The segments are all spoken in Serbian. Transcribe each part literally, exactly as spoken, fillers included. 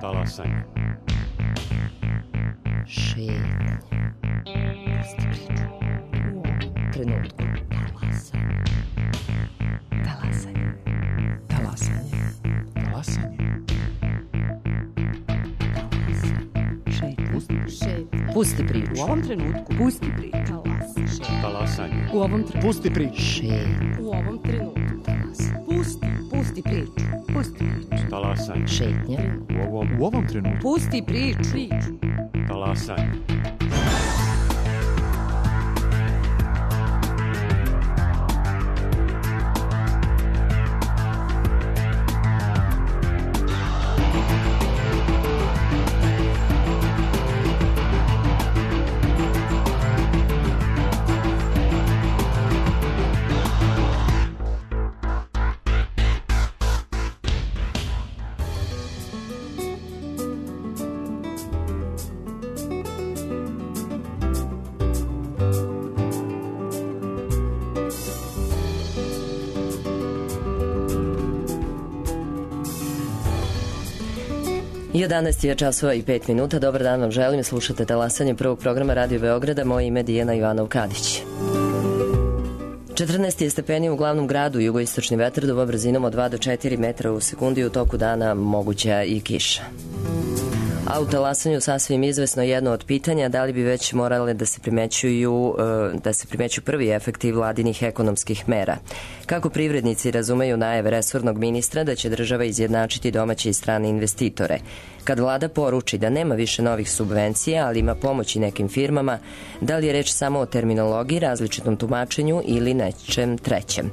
Talasanje. Šetnja. Pusti priču. U ovom trenutku. Talasanje. Talasanje. Talasanje. Šetnja. Pusti priču. U ovom trenutku. Pusti priču. Talasanje. U ovom trenutku. Pusti priču. Šetnja. U ovom trenutku. Pusti. Pusti priču. Pusti priču. Talasanje. Šetnja. U ovom, U ovom trenutku. Pusti priču. talasanje. jedanaest je časova i pet minuta. Dobar dan vam želim. Slušate Talasanje prvog programa Radio Beograda. Moje ime je Dijana Ivanov-Kadić. četrnaest je stepeni u glavnom gradu. Jugoistočni vetar duva brzinom od dva do četiri metra u sekundi. U toku dana moguća i kiša. A u Talasanju sasvim izvesno jedno od pitanja da li bi već morale da se primećuju da se primećuju prvi efekti vladinih ekonomskih mera. Kako privrednici razumeju najave resornog ministra da će država izjednačiti domaće i strane investitore. Kad vlada poruči da nema više novih subvencija, ali ima pomoći nekim firmama, da li je reč samo o terminologiji, različitom tumačenju ili nečem trećem?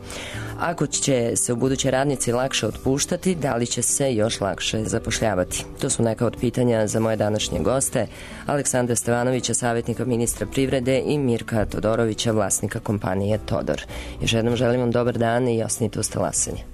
Ako će se u buduće radnici lakše otpuštati, da li će se još lakše zapošljavati? To su neka od pitanja za moje današnje goste, Aleksandra Stevanovića, savjetnika ministra privrede, i Mirka Todorovića, vlasnika kompanije Todor. Još jednom želim vam dobar dan i ostanite uz Talasanje.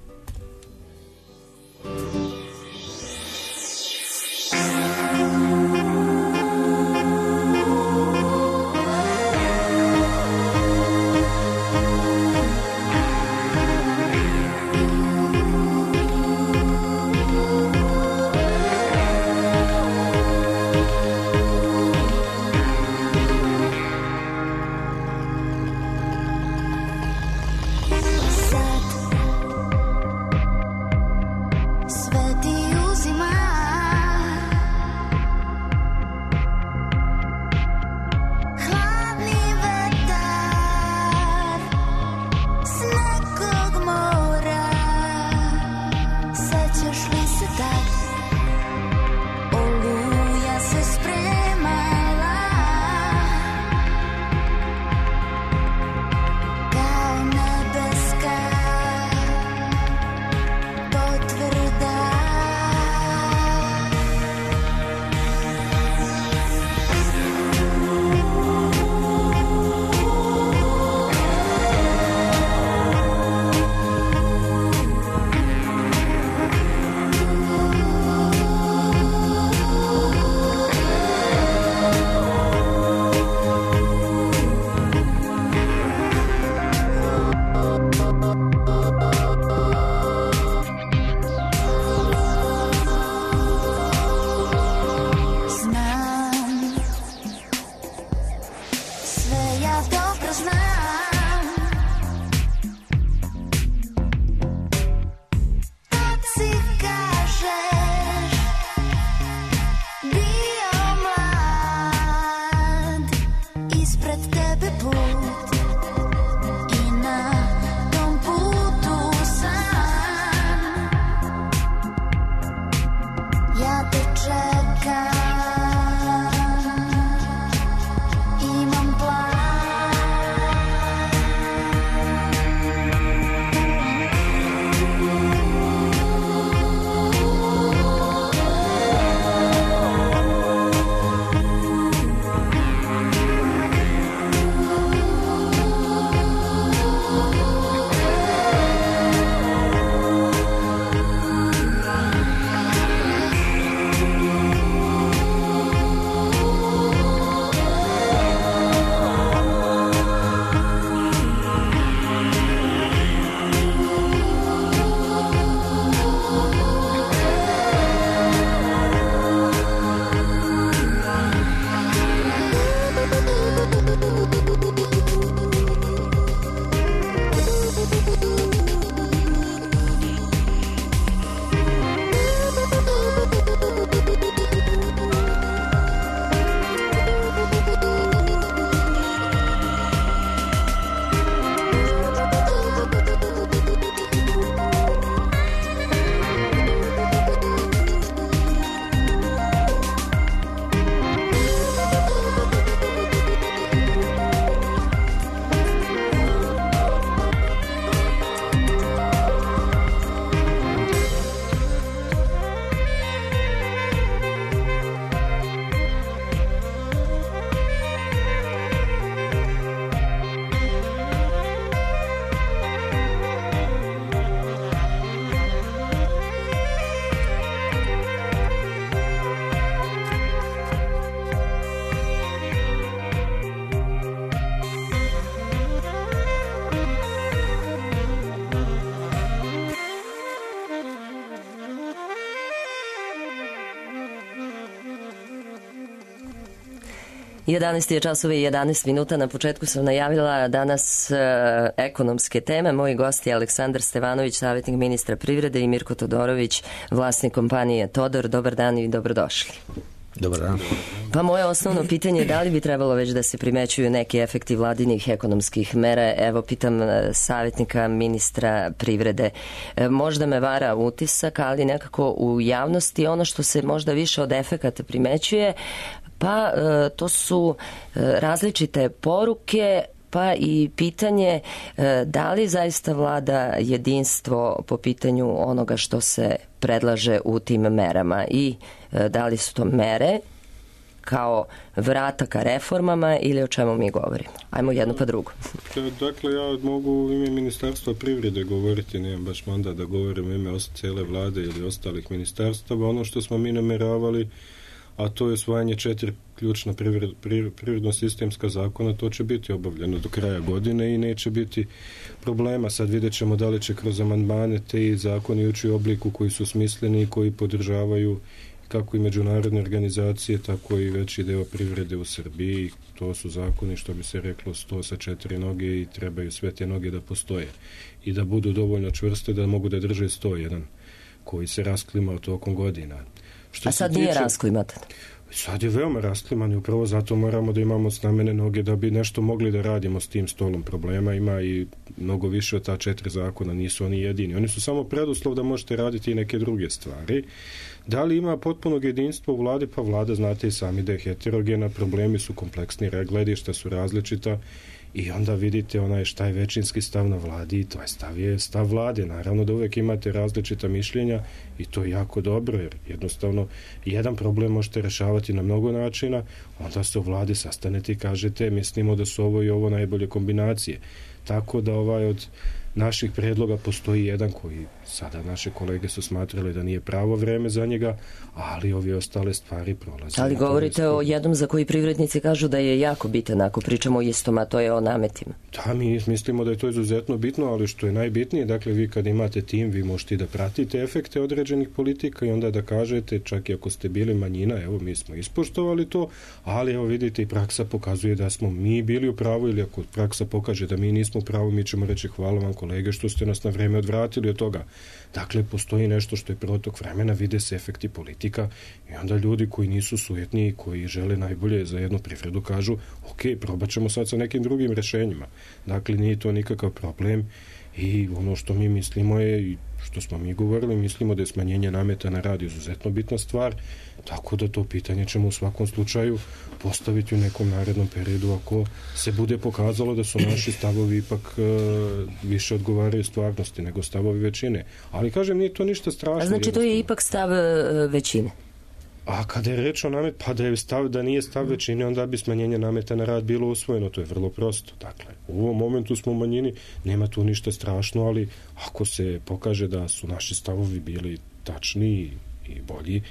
jedanaest je časova i jedanaest minuta. Na početku sam najavila danas e, ekonomske teme. Moji gosti je Aleksandar Stevanović, savjetnik ministra privrede, i Mirko Todorović, vlasnik kompanije Todor. Dobar dan i dobrodošli. Dobar dan. Pa moje osnovno pitanje je da li bi trebalo već da se primećuju neki efekti vladinih ekonomskih mera. Evo, pitam savjetnika ministra privrede. E, možda me vara utisak, ali nekako u javnosti ono što se možda više od efekata primećuje, pa e, to su e, različite poruke, pa i pitanje e, da li zaista vlada jedinstvo po pitanju onoga što se predlaže u tim merama i e, da li su to mere kao vrata ka reformama ili o čemu mi govorimo. Ajmo jedno pa drugo. Dakle, ja mogu u ime Ministarstva privrede govoriti, nemam baš mandat da govorim u ime cijele vlade ili ostalih ministarstava. Ono što smo mi nameravali, a to je usvajanje četiri ključna privred, privredno-sistemska zakona, to će biti obavljeno do kraja godine i neće biti problema. Sad vidjet ćemo da li će kroz amandmane te zakoni ući u obliku koji su smisleni i koji podržavaju kako i međunarodne organizacije, tako i veći deo privrede u Srbiji. To su zakoni, što bi se reklo, sto sa četiri noge i trebaju sve te noge da postoje i da budu dovoljno čvrste da mogu da drže sto jedan koji se rasklimao tokom godina. Što A sad tiče, nije rasklimatan? Sad je veoma raskliman i upravo zato moramo da imamo snamene noge da bi nešto mogli da radimo s tim stolom problema. Ima i mnogo više od ta četiri zakona, nisu oni jedini. Oni su samo preduslov da možete raditi i neke druge stvari. Da li ima potpunog jedinstva u vladi? Pa vlada, znate i sami da je heterogena, problemi su kompleksni, gledišta su različita i onda vidite onaj šta je većinski stav na vladi i to je stav, je stav vlade. Naravno da uvek imate različita mišljenja i to je jako dobro, jer jednostavno jedan problem možete rešavati na mnogo načina, onda se u vladi sastanete i kažete mislimo da su ovo i ovo najbolje kombinacije. Tako da ovaj od naših predloga postoji jedan koji sada naše kolege su smatrali da nije pravo vreme za njega, ali ove ostale stvari prolaze. Ali govorite o jednom za koji privrednici kažu da je jako bitan, ako pričamo o istom, a to je o nametima. Da, mi mislimo da je to izuzetno bitno, ali što je najbitnije, dakle vi kad imate tim, vi možete da pratite efekte određenih politika i onda da kažete, čak i ako ste bili manjina, evo mi smo ispoštovali to, ali evo vidite i praksa pokazuje da smo mi bili u pravu, ili ako praksa pokaže da mi nismo u pravu, mi ćemo reći hvala vam kolege što ste nas na vreme odvratili od toga. Dakle, postoji nešto što je protok vremena, vide se efekti politika i onda ljudi koji nisu sujetni i koji žele najbolje za jednu privredu kažu ok, probat ćemo sad sa nekim drugim rešenjima. Dakle, nije to nikakav problem i ono što mi mislimo je, i što smo mi govorili, mislimo da je smanjenje nameta na rad izuzetno bitna stvar, tako da to pitanje ćemo u svakom slučaju postaviti u nekom narednom periodu ako se bude pokazalo da su naši stavovi ipak e, više odgovaraju stvarnosti nego stavovi većine. Ali kažem, nije to ništa strašno. A znači to je ipak stav e, većine? A kada je reč o namet, pa da je stav, da nije stav većine, onda bi smanjenje nameta na rad bilo usvojeno. To je vrlo prosto. Dakle, u ovom momentu smo u manjini, nema tu ništa strašno, ali ako se pokaže da su naši stavovi bili tačni i bolji,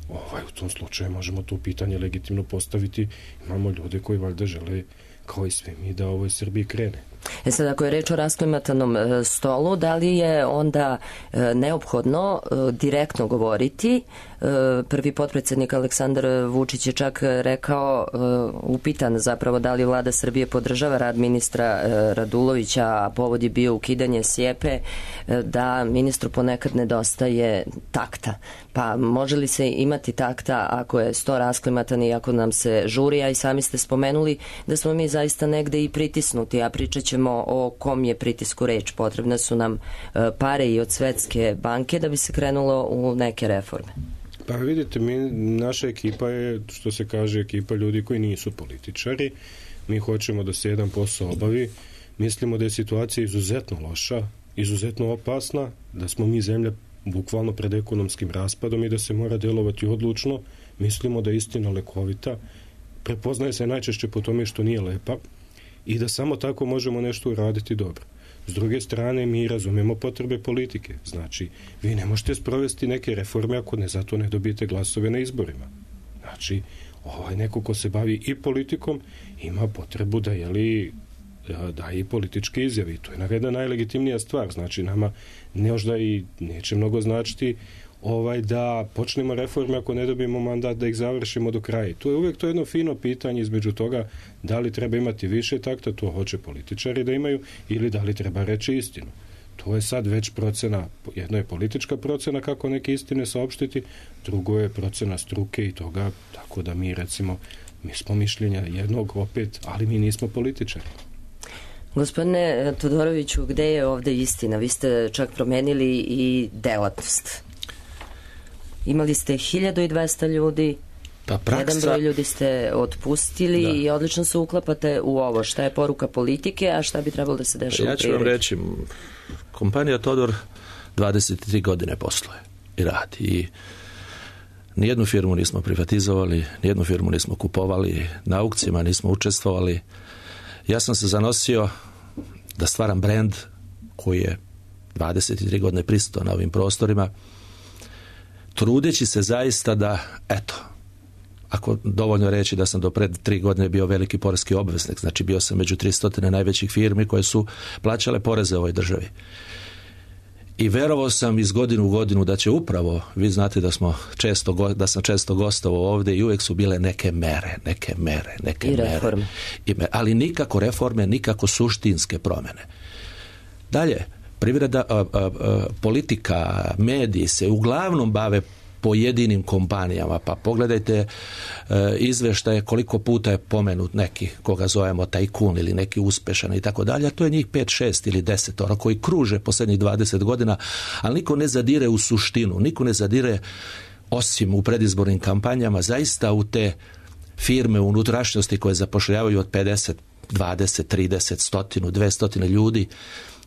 ovaj, u tom slučaju možemo to pitanje legitimno postaviti. Imamo ljude koji valjda žele, kao i sve mi, da ovoj Srbiji krene. E sad, ako je reč o rasklimatanom e, stolu, da li je onda e, neophodno e, direktno govoriti? E, prvi potpredsjednik Aleksandar Vučić je čak rekao, e, upitan zapravo da li vlada Srbije podržava rad ministra e, Radulovića, a povod je bio ukidanje Sjepe, e, da ministru ponekad nedostaje takta. Pa može li se imati takta ako je sto rasklimatan i ako nam se žuri, a i sami ste spomenuli da smo mi zaista negde i pritisnuti, a pričat ćemo o kom je pritisku reč. Potrebne su nam pare i od Svetske banke da bi se krenulo u neke reforme. Pa vidite, mi, naša ekipa je, što se kaže, ekipa ljudi koji nisu političari. Mi hoćemo da se jedan posao obavi. Mislimo da je situacija izuzetno loša, izuzetno opasna, da smo mi zemlja bukvalno pred ekonomskim raspadom i da se mora delovati odlučno. Mislimo da je istina lekovita. Prepoznaje se najčešće po tome što nije lepa i da samo tako možemo nešto uraditi dobro. S druge strane, mi razumemo potrebe politike. Znači, vi ne možete sprovesti neke reforme ako ne zato ne dobijete glasove na izborima. Znači, ovaj neko ko se bavi i politikom ima potrebu da jeli daje i političke izjave. To je jedna najlegitimnija stvar. Znači, nama možda i neće mnogo značiti ovaj, da počnemo reforme ako ne dobijemo mandat da ih završimo do kraja. To je uvijek to jedno fino pitanje između toga da li treba imati više takta, to hoće političari da imaju, ili da li treba reći istinu. To je sad već procena, jedno je politička procena kako neke istine saopštiti, drugo je procena struke i toga, tako da mi recimo, mi smo mišljenja jednog opet, ali mi nismo političari. Gospodine Todoroviću, gde je ovde istina? Vi ste čak promenili i delatnost. Imali ste hiljadu dvesta ljudi, pa praksa... jedan broj ljudi ste otpustili da. I odlično se uklapate u ovo. Šta je poruka politike, a šta bi trebalo da se dešava ja u privredi? Ja ću vam reći, kompanija Todor dvadeset tri godine posluje i radi. I nijednu firmu nismo privatizovali, nijednu firmu nismo kupovali, na aukcijama nismo učestvovali. Ja sam se zanosio da stvaram brend koji je dvadeset tri godine prisutan na ovim prostorima, trudeći se zaista da, eto, ako dovoljno reći da sam do pred tri godine bio veliki poreski obveznik, znači bio sam među tristo najvećih firmi koje su plaćale poreze u ovoj državi. I verovao sam iz godinu u godinu da će upravo, vi znate da smo često, da sam često gostovao ovdje i uvijek su bile neke mere, neke mere, neke I mere. Reforme. I mere. Ali nikako reforme, nikako suštinske promjene. Dalje, privreda, a, a, a, politika, mediji se uglavnom bave pojedinim kompanijama, pa pogledajte e, izveštaje koliko puta je pomenut neki koga zovemo tajkun ili neki uspešan i tako dalje, a to je njih pet, šest ili deset ora koji kruže posljednjih dvadeset godina, ali niko ne zadire u suštinu, niko ne zadire osim u predizbornim kampanjama zaista u te firme u unutrašnjosti koje zapošljavaju od pedeset, dvadeset, trideset, stotinu, dvestotine ljudi.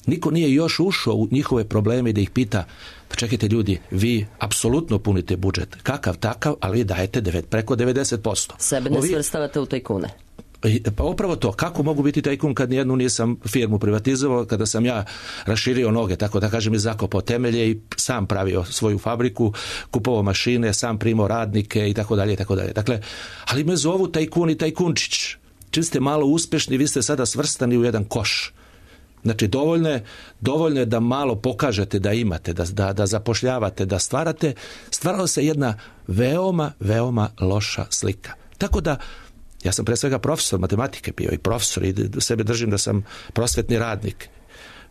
Niko nije još ušao u njihove probleme i da ih pita, pa čekajte ljudi, vi apsolutno punite budžet, kakav takav, ali vi dajete devet, preko devedeset posto. Sebe ne Ovi... svrstavate u tajkune. Pa upravo to, kako mogu biti tajkun kad nijednu nisam firmu privatizovao, kada sam ja raširio noge, tako da kažem, i zakopao temelje i sam pravio svoju fabriku, kupovao mašine, sam primao radnike i tako dalje i tako dalje. Dakle, ali me zovu tajkun i tajkunčić. Čim ste malo uspešni, vi ste sada svrstani u jedan koš. Znači, dovoljno je, dovoljno je da malo pokažete da imate, da, da, da zapošljavate, da stvarate. Stvarala se jedna veoma, veoma loša slika. Tako da, ja sam pre svega profesor matematike bio i profesor i sebe držim da sam prosvetni radnik.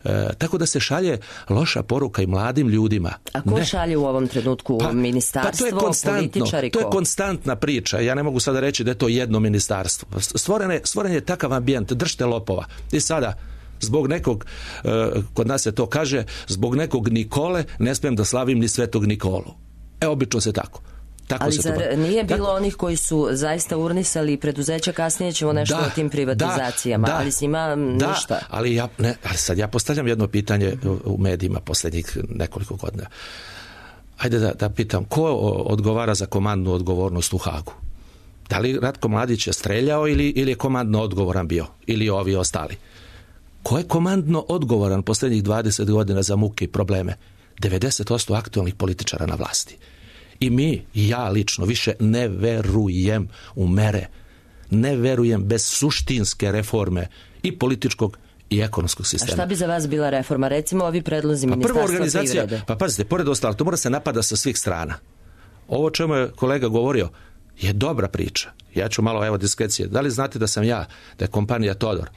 E, tako da se šalje loša poruka i mladim ljudima. A ko ne. šalje u ovom trenutku? Pa, ministarstvo, pa to je političari? To je konstantna priča. Ja ne mogu sada reći da je to jedno ministarstvo. Stvoren je, stvoren je takav ambijent, držite lopova. I sada, zbog nekog, kod nas se to kaže, zbog nekog Nikole ne smijem da slavim ni Svetog Nikolu. E, obično se tako. Tako ali se zar to... nije bilo tako... onih koji su zaista urnisali preduzeća, kasnije ćemo nešto da, o tim privatizacijama, da, ali s njima da, ništa. Ali, ja, ne, ali sad ja postavljam jedno pitanje u medijima posljednjih nekoliko godina. Ajde da, da pitam, ko odgovara za komandnu odgovornost u Hagu? Da li Ratko Mladić je streljao ili, ili je komandno odgovoran bio? Ili ovi ostali? Ko je komandno odgovoran posljednjih dvadeset godina za muke i probleme? devedeset posto aktualnih političara na vlasti. I mi, i ja lično, više ne verujem u mere. Ne verujem bez suštinske reforme i političkog i ekonomskog sistema. A šta bi za vas bila reforma? Recimo ovi predlozi pa ministarstva privrede. Pa pazite, pored ostalo, to mora se napada sa svih strana. Ovo čemu je kolega govorio je dobra priča. Ja ću malo, evo, diskrecije. Da li znate da sam ja, da je kompanija Todor,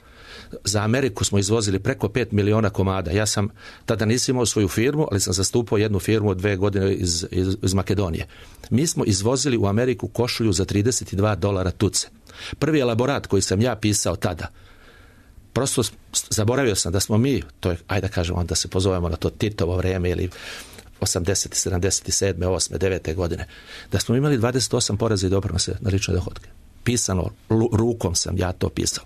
za Ameriku smo izvozili preko pet miliona komada. Ja sam, tada nisam imao svoju firmu, ali sam zastupao jednu firmu od dve godine iz, iz, iz Makedonije. Mi smo izvozili u Ameriku košulju za trideset dva dolara tuce. Prvi elaborat koji sam ja pisao tada, prosto zaboravio sam da smo mi, to je, ajde da kažemo, da se pozovemo na to Titovo vrijeme ili osamdeset, sedamdeset sedam, osam, devet godine, da smo imali dvadeset osam poreza i doprinose na lične dohotke. Pisano, rukom sam ja to pisao.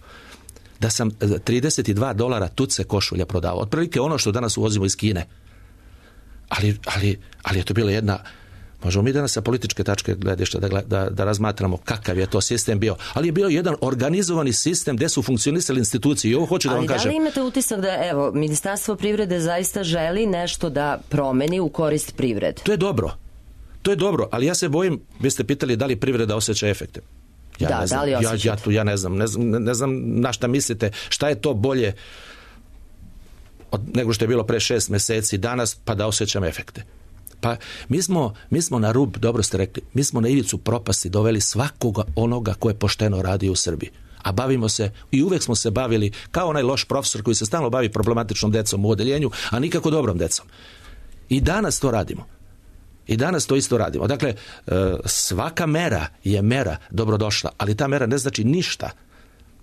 Da sam trideset dva dolara tuce košulja prodao. Otprilike ono što danas uvozimo iz Kine. Ali, ali, ali je to bila jedna... Možemo mi danas sa političke tačke gledišta da, da, da razmatramo kakav je to sistem bio. Ali je bio jedan organizovani sistem gdje su funkcionisali institucije. I ovo hoću da ali vam kažem. Ali da li imate utisak da, evo, Ministarstvo privrede zaista želi nešto da promeni u korist privrede? To je dobro. To je dobro, ali ja se bojim, vi ste pitali da li privreda osjeća efekte. Ja da, ne znam, da li ja, ja, tu, ja ne znam, ne znam, ne znam na šta mislite, šta je to bolje od, nego što je bilo pre šest mjeseci danas, pa da osjećam efekte. Pa mi smo, mi smo na rub, dobro ste rekli, mi smo na ivicu propasti doveli svakoga onoga ko je pošteno radio u Srbiji. A bavimo se, i uvek smo se bavili kao onaj loš profesor koji se stalno bavi problematičnom decom u odeljenju, a nikako dobrom decom. I danas to radimo. I danas to isto radimo. Dakle, svaka mera je mera dobrodošla, ali ta mera ne znači ništa.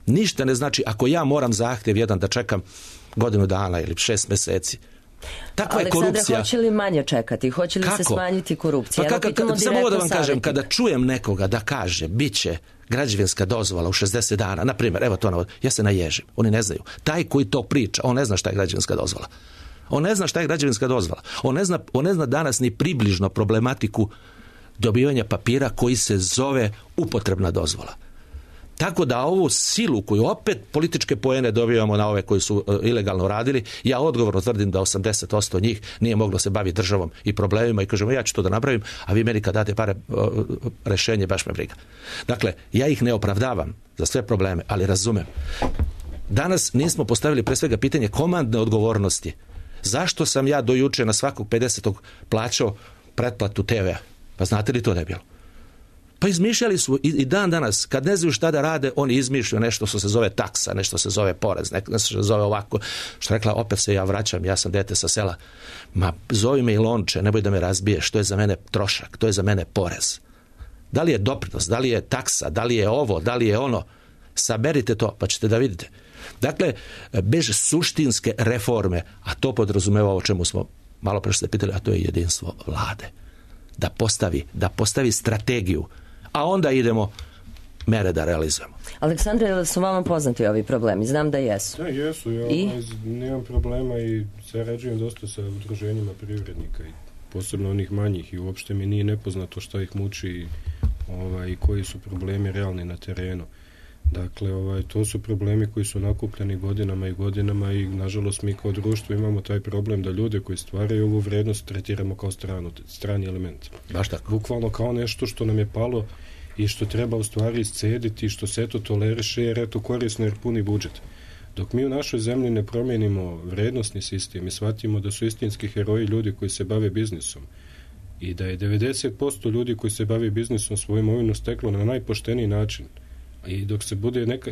Ništa ne znači ako ja moram zahtjev jedan da čekam godinu dana ili šest meseci. Takva je korupcija. Aleksandra, hoće li manje čekati? Hoće li Kako? se smanjiti korupcija? Pa kako, samo ovo da vam kažem, kada čujem nekoga da kaže bit će građevinska dozvola u šezdeset dana, na primjer, evo to navod, ja se naježim, oni ne znaju. Taj koji to priča, on ne zna šta je građevinska dozvola. On ne zna šta je građevinska dozvola. On ne zna, on ne zna danas ni približno problematiku dobivanja papira koji se zove upotrebna dozvola. Tako da ovu silu koju opet političke poene dobivamo na ove koji su uh, ilegalno radili, ja odgovorno tvrdim da osamdeset posto njih nije moglo se baviti državom i problemima i kažemo ja ću to da napravim, a vi meni kad date pare uh, rešenje baš me briga. Dakle, ja ih ne opravdavam za sve probleme, ali razumem. Danas nismo postavili pre svega pitanje komandne odgovornosti. Zašto sam ja do juče na svakog pedesetog plaćao pretplatu te ve a? Pa znate li to da je bilo? Pa izmišljali su i, i dan danas, kad ne znaju šta da rade, oni izmišljaju nešto što se zove taksa, nešto se zove porez, nešto što se zove ovako. Što rekla, opet se ja vraćam, ja sam dete sa sela. Ma, zovi me i lonče, neboj da me razbiješ, to je za mene trošak, to je za mene porez. Da li je doprinos, da li je taksa, da li je ovo, da li je ono, saberite to, pa ćete da vidite. Dakle, bez suštinske reforme, a to podrazumeva o čemu smo malo pre ste pitali, a to je jedinstvo vlade. Da postavi, da postavi strategiju, a onda idemo mere da realizujemo. Aleksandre, da su vama poznati ovi problemi? Znam da jesu. Da, jesu. Ja I? nemam problema i sarađujem dosta sa udruženjima privrednika i posebno onih manjih i uopšte mi nije nepoznato šta ih muči i ovaj, koji su problemi realni na terenu. Dakle, ovaj, to su problemi koji su nakupljeni godinama i godinama i nažalost mi kao društvo imamo taj problem da ljude koji stvaraju ovu vrednost tretiramo kao stranu, strani element. Baš tako. Bukvalno kao nešto što nam je palo i što treba u stvari iscediti, što se eto toleriše jer eto korisno jer puni budžet. Dok mi u našoj zemlji ne promijenimo vrednosni sistem i shvatimo da su istinski heroji ljudi koji se bave biznisom i da je devedeset posto ljudi koji se bave biznisom svoju imovinu steklo na najpošteniji način, i dok se bude neka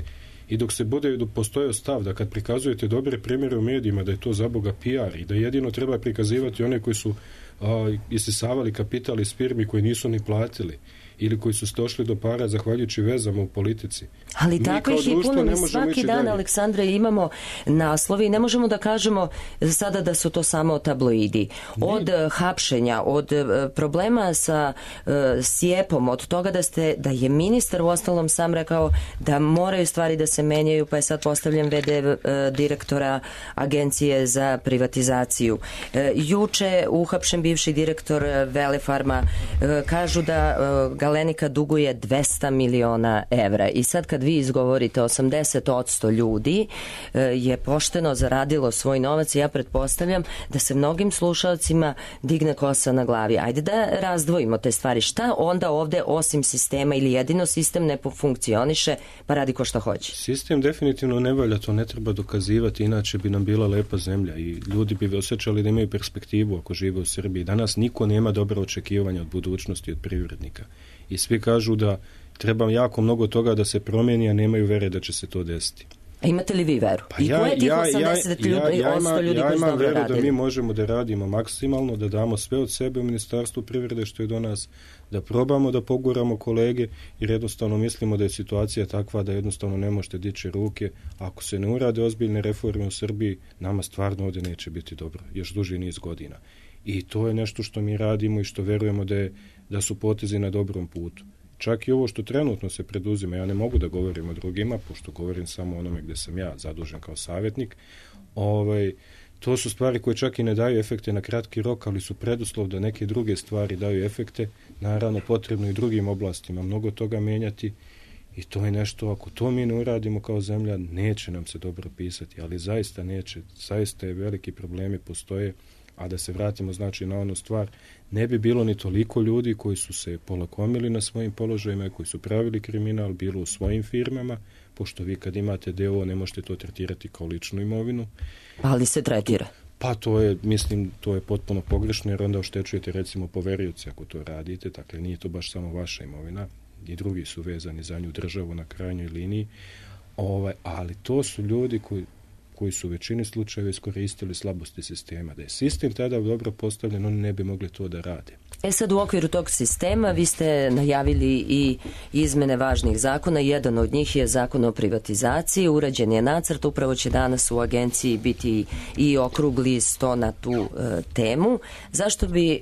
i dok se bude postojao stav da kad prikazujete dobre primjere u medijima da je to za Boga P R i da jedino treba prikazivati one koji su a, isisavali kapital iz firmi koji nisu ni platili ili koji su došli do para zahvaljujući vezama u politici. Ali mi tako ih je puno, mi svaki dan, dalje. Aleksandre, imamo naslovi i ne možemo da kažemo sada da su to samo tabloidi. Od ne. hapšenja, od problema sa uh, sjepom, od toga da ste, da je ministar u ostalom sam rekao da moraju stvari da se menjaju, pa je sad postavljen ve de uh, direktora Agencije za privatizaciju. Uh, juče uhapšen bivši direktor uh, Velefarma, uh, kažu da uh, Galenika duguje dvesta miliona evra i sad kad vi izgovorite osamdeset posto ljudi je pošteno zaradilo svoj novac i ja pretpostavljam da se mnogim slušalcima digne kosa na glavi. Ajde da razdvojimo te stvari. Šta onda ovde osim sistema ili jedino sistem ne funkcioniše pa radi ko šta hoće? Sistem definitivno ne valja, to ne treba dokazivati, inače bi nam bila lepa zemlja i ljudi bi osjećali da imaju perspektivu ako žive u Srbiji. Danas niko nema dobra očekivanja od budućnosti od privrednika. I svi kažu da treba jako mnogo toga da se promijeni, a nemaju vere da će se to desiti. A imate li vi veru? Pa I ja, ko je tih osamdeset ljudi, ja, ja, ima, ljudi ja imam veru radili? Da mi možemo da radimo maksimalno, da damo sve od sebe u Ministarstvu privrede što je do nas, da probamo da poguramo kolege jer jednostavno mislimo da je situacija takva da jednostavno ne možete dići ruke. Ako se ne urade ozbiljne reforme u Srbiji, nama stvarno ovdje neće biti dobro, još duži niz godina. I to je nešto što mi radimo i što verujemo da, je, da su potezi na dobrom putu. Čak i ovo što trenutno se preduzima, ja ne mogu da govorim o drugima, pošto govorim samo onome gde sam ja zadužen kao savjetnik, ovaj, to su stvari koje čak i ne daju efekte na kratki rok, ali su preduslov da neke druge stvari daju efekte. Naravno, potrebno i drugim oblastima mnogo toga menjati i to je nešto, ako to mi ne uradimo kao zemlja, neće nam se dobro pisati, ali zaista neće, zaista je veliki problemi postoje. A da se vratimo znači na onu stvar, ne bi bilo ni toliko ljudi koji su se polakomili na svojim položajima i koji su pravili kriminal, bilo u svojim firmama, pošto vi kad imate de o o ne možete to tretirati kao ličnu imovinu. Ali se tretira. Pa to je, mislim, to je potpuno pogrešno, jer onda oštećujete recimo poverioce ako to radite, dakle nije to baš samo vaša imovina, i drugi su vezani za nju, državu na krajnjoj liniji, ovaj, ali to su ljudi koji, koji su u većini slučajeva iskoristili slabosti sistema. Da je sistem tada dobro postavljen, oni ne bi mogli to da rade. E sad, u okviru tog sistema vi ste najavili i izmene važnih zakona. Jedan od njih je zakon o privatizaciji. Urađen je nacrt, upravo će danas u agenciji biti i okrugli sto na tu e, temu. Zašto bi e,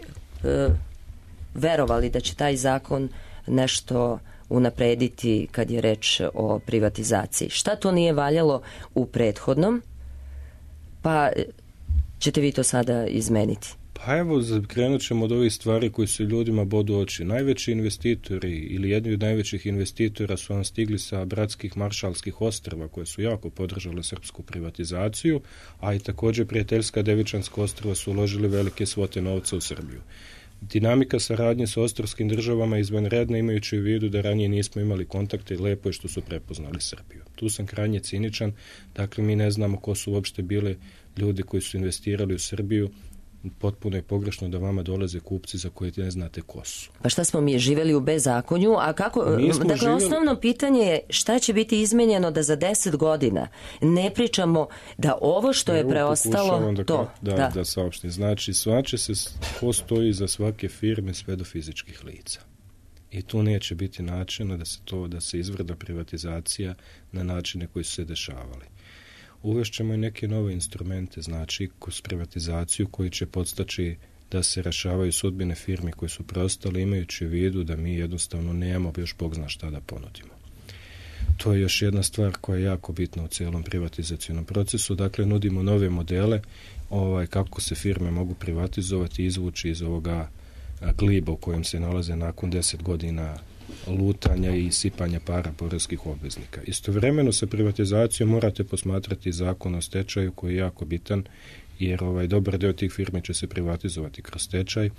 verovali da će taj zakon nešto unaprediti kad je reč o privatizaciji? Šta to nije valjalo u prethodnom, pa ćete vi to sada izmeniti? Pa evo, krenut ćemo od ovih stvari koji se ljudima bodu oči. Najveći investitori ili jedni od najvećih investitora su vam stigli sa bratskih Maršalskih ostrva koje su jako podržale srpsku privatizaciju, a i također prijateljska Devičanska ostrva su uložili velike svote novca u Srbiju. Dinamika saradnje sa ostrvskim državama je izvanredna, imajući u vidu da ranije nismo imali kontakte i lepo je što su prepoznali Srbiju. Tu sam krajnje ciničan, dakle mi ne znamo ko su uopšte bile ljudi koji su investirali u Srbiju. Potpuno je pogrešno da vama dolaze kupci za koje ne znate ko su. Pa šta smo mi živeli u bezakonju? A kako, dakle, živjeli... osnovno pitanje je šta će biti izmenjeno da za deset godina ne pričamo da ovo što je preostalo da, to. Da, da. da saopštim. Znači, svače se ko stoji za svake firme sve do fizičkih lica. I tu neće biti načina da se to, da se izvrda privatizacija na načine koji su se dešavali. Uvešćemo i neke nove instrumente, znači kroz privatizaciju koji će podstaći da se rešavaju sudbine firme koje su preostale, imajući u vidu da mi jednostavno nemamo još Bog zna šta da ponudimo. To je još jedna stvar koja je jako bitna u cijelom privatizacijnom procesu. Dakle, nudimo nove modele ovaj, kako se firme mogu privatizovati i izvući iz ovoga gliba u kojem se nalaze nakon deset godina lutanja i sipanja para poreskih obveznika. Istovremeno sa privatizacijom morate posmatrati zakon o stečaju koji je jako bitan, jer ovaj dobar deo tih firmi će se privatizovati kroz stečaj,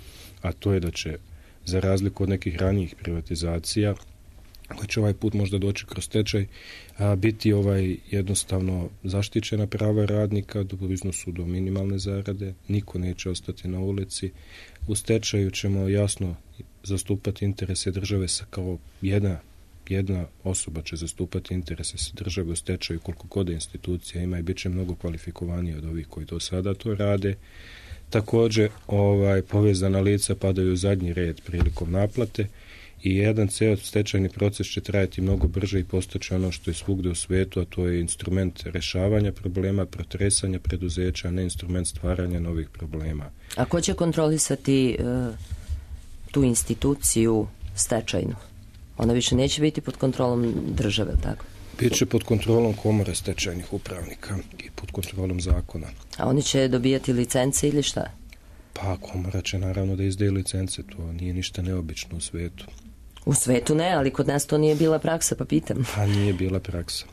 a to je da će, za razliku od nekih ranijih privatizacija, koji će ovaj put možda doći kroz stečaj, a, biti ovaj jednostavno zaštićena prava radnika do iznosu do minimalne zarade, niko neće ostati na ulici. U stečaju ćemo jasno zastupati interese države sa kao jedna, jedna osoba će zastupati interese sa države u stečaju koliko god institucija ima i bit će mnogo kvalifikovanije od ovih koji do sada to rade. Također ovaj, povezana lica padaju u zadnji red prilikom naplate i jedan ceo stečajni proces će trajati mnogo brže i postaće ono što je svugde u svetu, a to je instrument rešavanja problema, protresanja preduzeća, a ne instrument stvaranja novih problema. A ko će kontrolisati uh, tu instituciju stečajnu? Ona više neće biti pod kontrolom države, tako? Biće pod kontrolom komore stečajnih upravnika i pod kontrolom zakona. A oni će dobijati licence ili šta? Pa komora će naravno da izdaje licence, to nije ništa neobično u svetu. U svetu ne, ali kod nas to nije bila praksa, pa pitam. Pa nije bila praksa.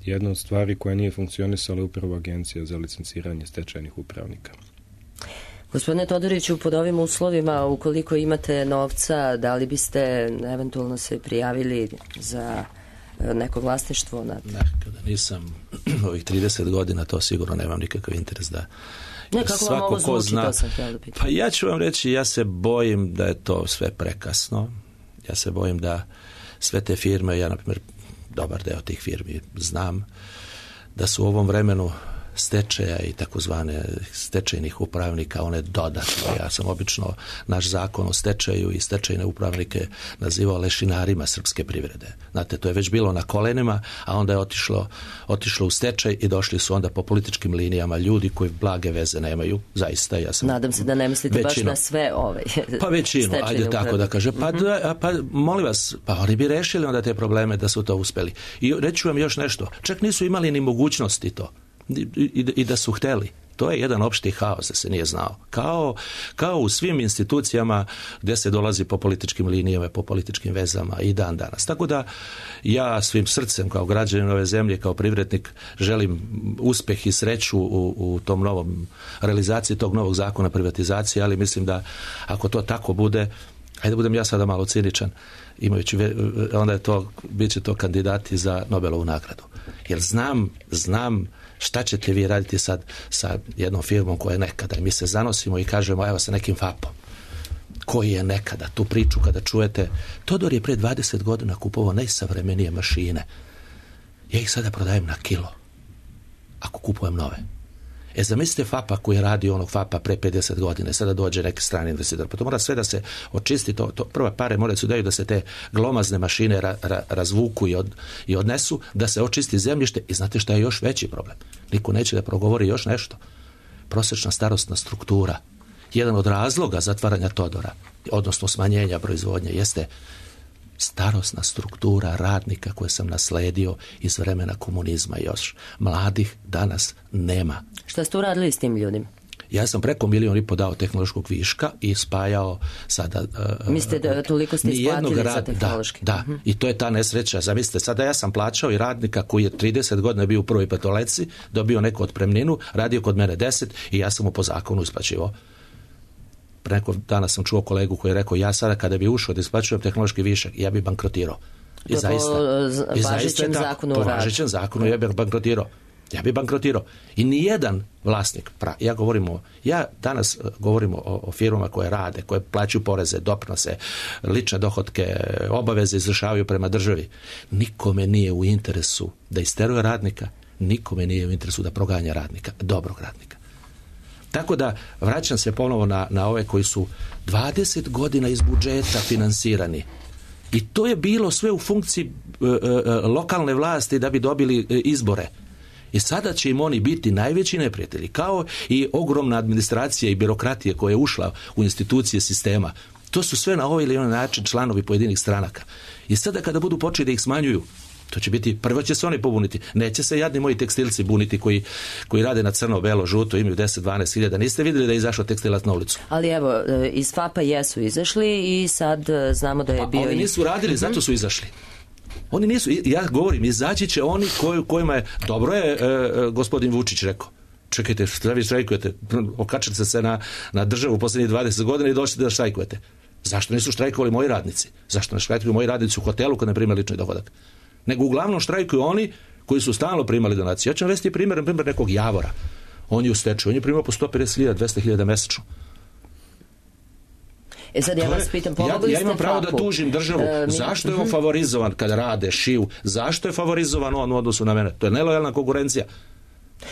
Jedna od stvari koja nije funkcionisala je upravo agencija za licenciranje stečajnih upravnika. Gospodine Todoriću, pod ovim uslovima, ukoliko imate novca, da li biste eventualno se prijavili za neko vlasništvo? Na... Ne, kada nisam ovih trideset godina, to sigurno nemam nikakav interes da... Ne, kako vam ovo zvuči, zna, to sam htjela da pitam. Pa ja ću vam reći, ja se bojim da je to sve prekasno. Ja se bojim da sve te firme, ja na primjer dobar deo tih firmi znam, da su u ovom vremenu stečaja i takozvane stečajnih upravnika, one dodatno. Ja sam obično naš zakon o stečaju i stečajne upravnike nazivao lešinarima srpske privrede. Znate, to je već bilo na kolenima, a onda je otišlo, otišlo u stečaj i došli su onda po političkim linijama ljudi koji blage veze nemaju. Zaista, ja sam... Nadam se da ne mislite većinu, baš na sve ove pa većinu, ajde tako da kaže. Pa, mm-hmm. da, pa molim vas, pa oni bi rešili onda te probleme da su to uspeli. I reću vam još nešto. Čak nisu imali ni mogućnosti to. I, i, i da su hteli. To je jedan opšti haos da se nije znao. Kao, kao u svim institucijama gdje se dolazi po političkim linijama, po političkim vezama i dan danas. Tako da ja svim srcem kao građanin ove zemlje, kao privrednik želim uspjeh i sreću u, u tom novom realizaciji tog novog zakona privatizacije, ali mislim da ako to tako bude, ajde budem ja sada malo ciničan, imajući, onda je to, bit će to kandidati za Nobelovu nagradu. Jer znam, znam Šta ćete vi raditi sad sa jednom firmom koja je nekada? I mi se zanosimo i kažemo, evo sa nekim fapom. Koji je nekada? Tu priču kada čujete, Todor je pre dvadeset godina kupovao najsavremenije mašine. Ja ih sada prodajem na kilo. Ako kupujem nove. E, zamislite fapa koji radi onog fapa pre pedeset godina, sada dođe neki strani investitor. Pa to mora sve da se očisti, to, to prva pare moraju se daju da se te glomazne mašine ra, ra, razvuku i, od, i odnesu, da se očisti zemljište. I znate šta je još veći problem? Niko neće da progovori još nešto. Prosječna starosna struktura. Jedan od razloga zatvaranja Todora, odnosno smanjenja proizvodnje, jeste starosna struktura radnika koje sam nasledio iz vremena komunizma još. Mladih danas nema. Šta ste uradili s tim ljudima? Ja sam preko milion i po dao tehnološkog viška i spajao sada... Uh, Mislite da toliko ste isplatili rad, za tehnološki? Da, da. Uh-huh. I to je ta nesreća. Zamislite, sada ja sam plaćao i radnika koji je trideset godina bio u prvoj petoleci, dobio neku otpremninu, radio kod mene deset i ja sam mu po zakonu isplaćivao. Pre nekog dana sam čuo kolegu koji je rekao, ja sada kada bi ušao da isplaćujem tehnološki višak, ja bi bankrotirao. I zaista, po važećem zakonu po važećem zakonu ja bih bankrotirao. Ja bih bankrotirao. I nijedan vlasnik, pra, ja govorim o, ja danas govorim o, o firmama koje rade, koje plaćaju poreze, doprinose, lične dohotke, obaveze izvršavaju prema državi. Nikome nije u interesu da isteruje radnika, nikome nije u interesu da proganja radnika, dobrog radnika. Tako da vraćam se ponovo na, na ove koji su dvadeset godina iz budžeta finansirani. I to je bilo sve u funkciji e, e, lokalne vlasti da bi dobili e, izbore. I sada će im oni biti najveći neprijatelji, kao i ogromna administracija i birokratija koja je ušla u institucije sistema. To su sve na ovaj ili onaj način članovi pojedinih stranaka. I sada kada budu počeli da ih smanjuju, to će biti, prvo će se oni pobuniti. Neće se jadni moji tekstilci buniti koji, koji rade na crno, belo, žuto, imaju deset do dvanaest hiljada. Niste vidjeli da je izašao tekstilac na ulicu? Ali evo, iz fapa jesu izašli i sad znamo da je pa, bio... Oni nisu radili, zato su izašli. Oni nisu, ja govorim, izaći će oni koji, kojima je, dobro je e, gospodin Vučić rekao, čekajte, šta vi štrajkujete, okačite se na, na državu posljednjih dvadeset godina i doćete da štrajkujete. Zašto nisu štrajkovali moji radnici? Zašto ne štrajkuju moji radnici u hotelu kad ne prime lični dohodak? Nego uglavnom štrajkuju oni koji su stalno primali donacije. Ja ću vam vesti primjer, primjer nekog Javora. On je u stečaju, on je primao po sto pedeset hiljada, dvesta hiljada mesečno. E sad ja vas pitam, pomogli ja, ja ste imam pravo fapu. Da tužim državu. E, zašto je on favorizovan kada rade, šiju? Zašto je favorizovan on u odnosu na mene? To je nelojalna konkurencija.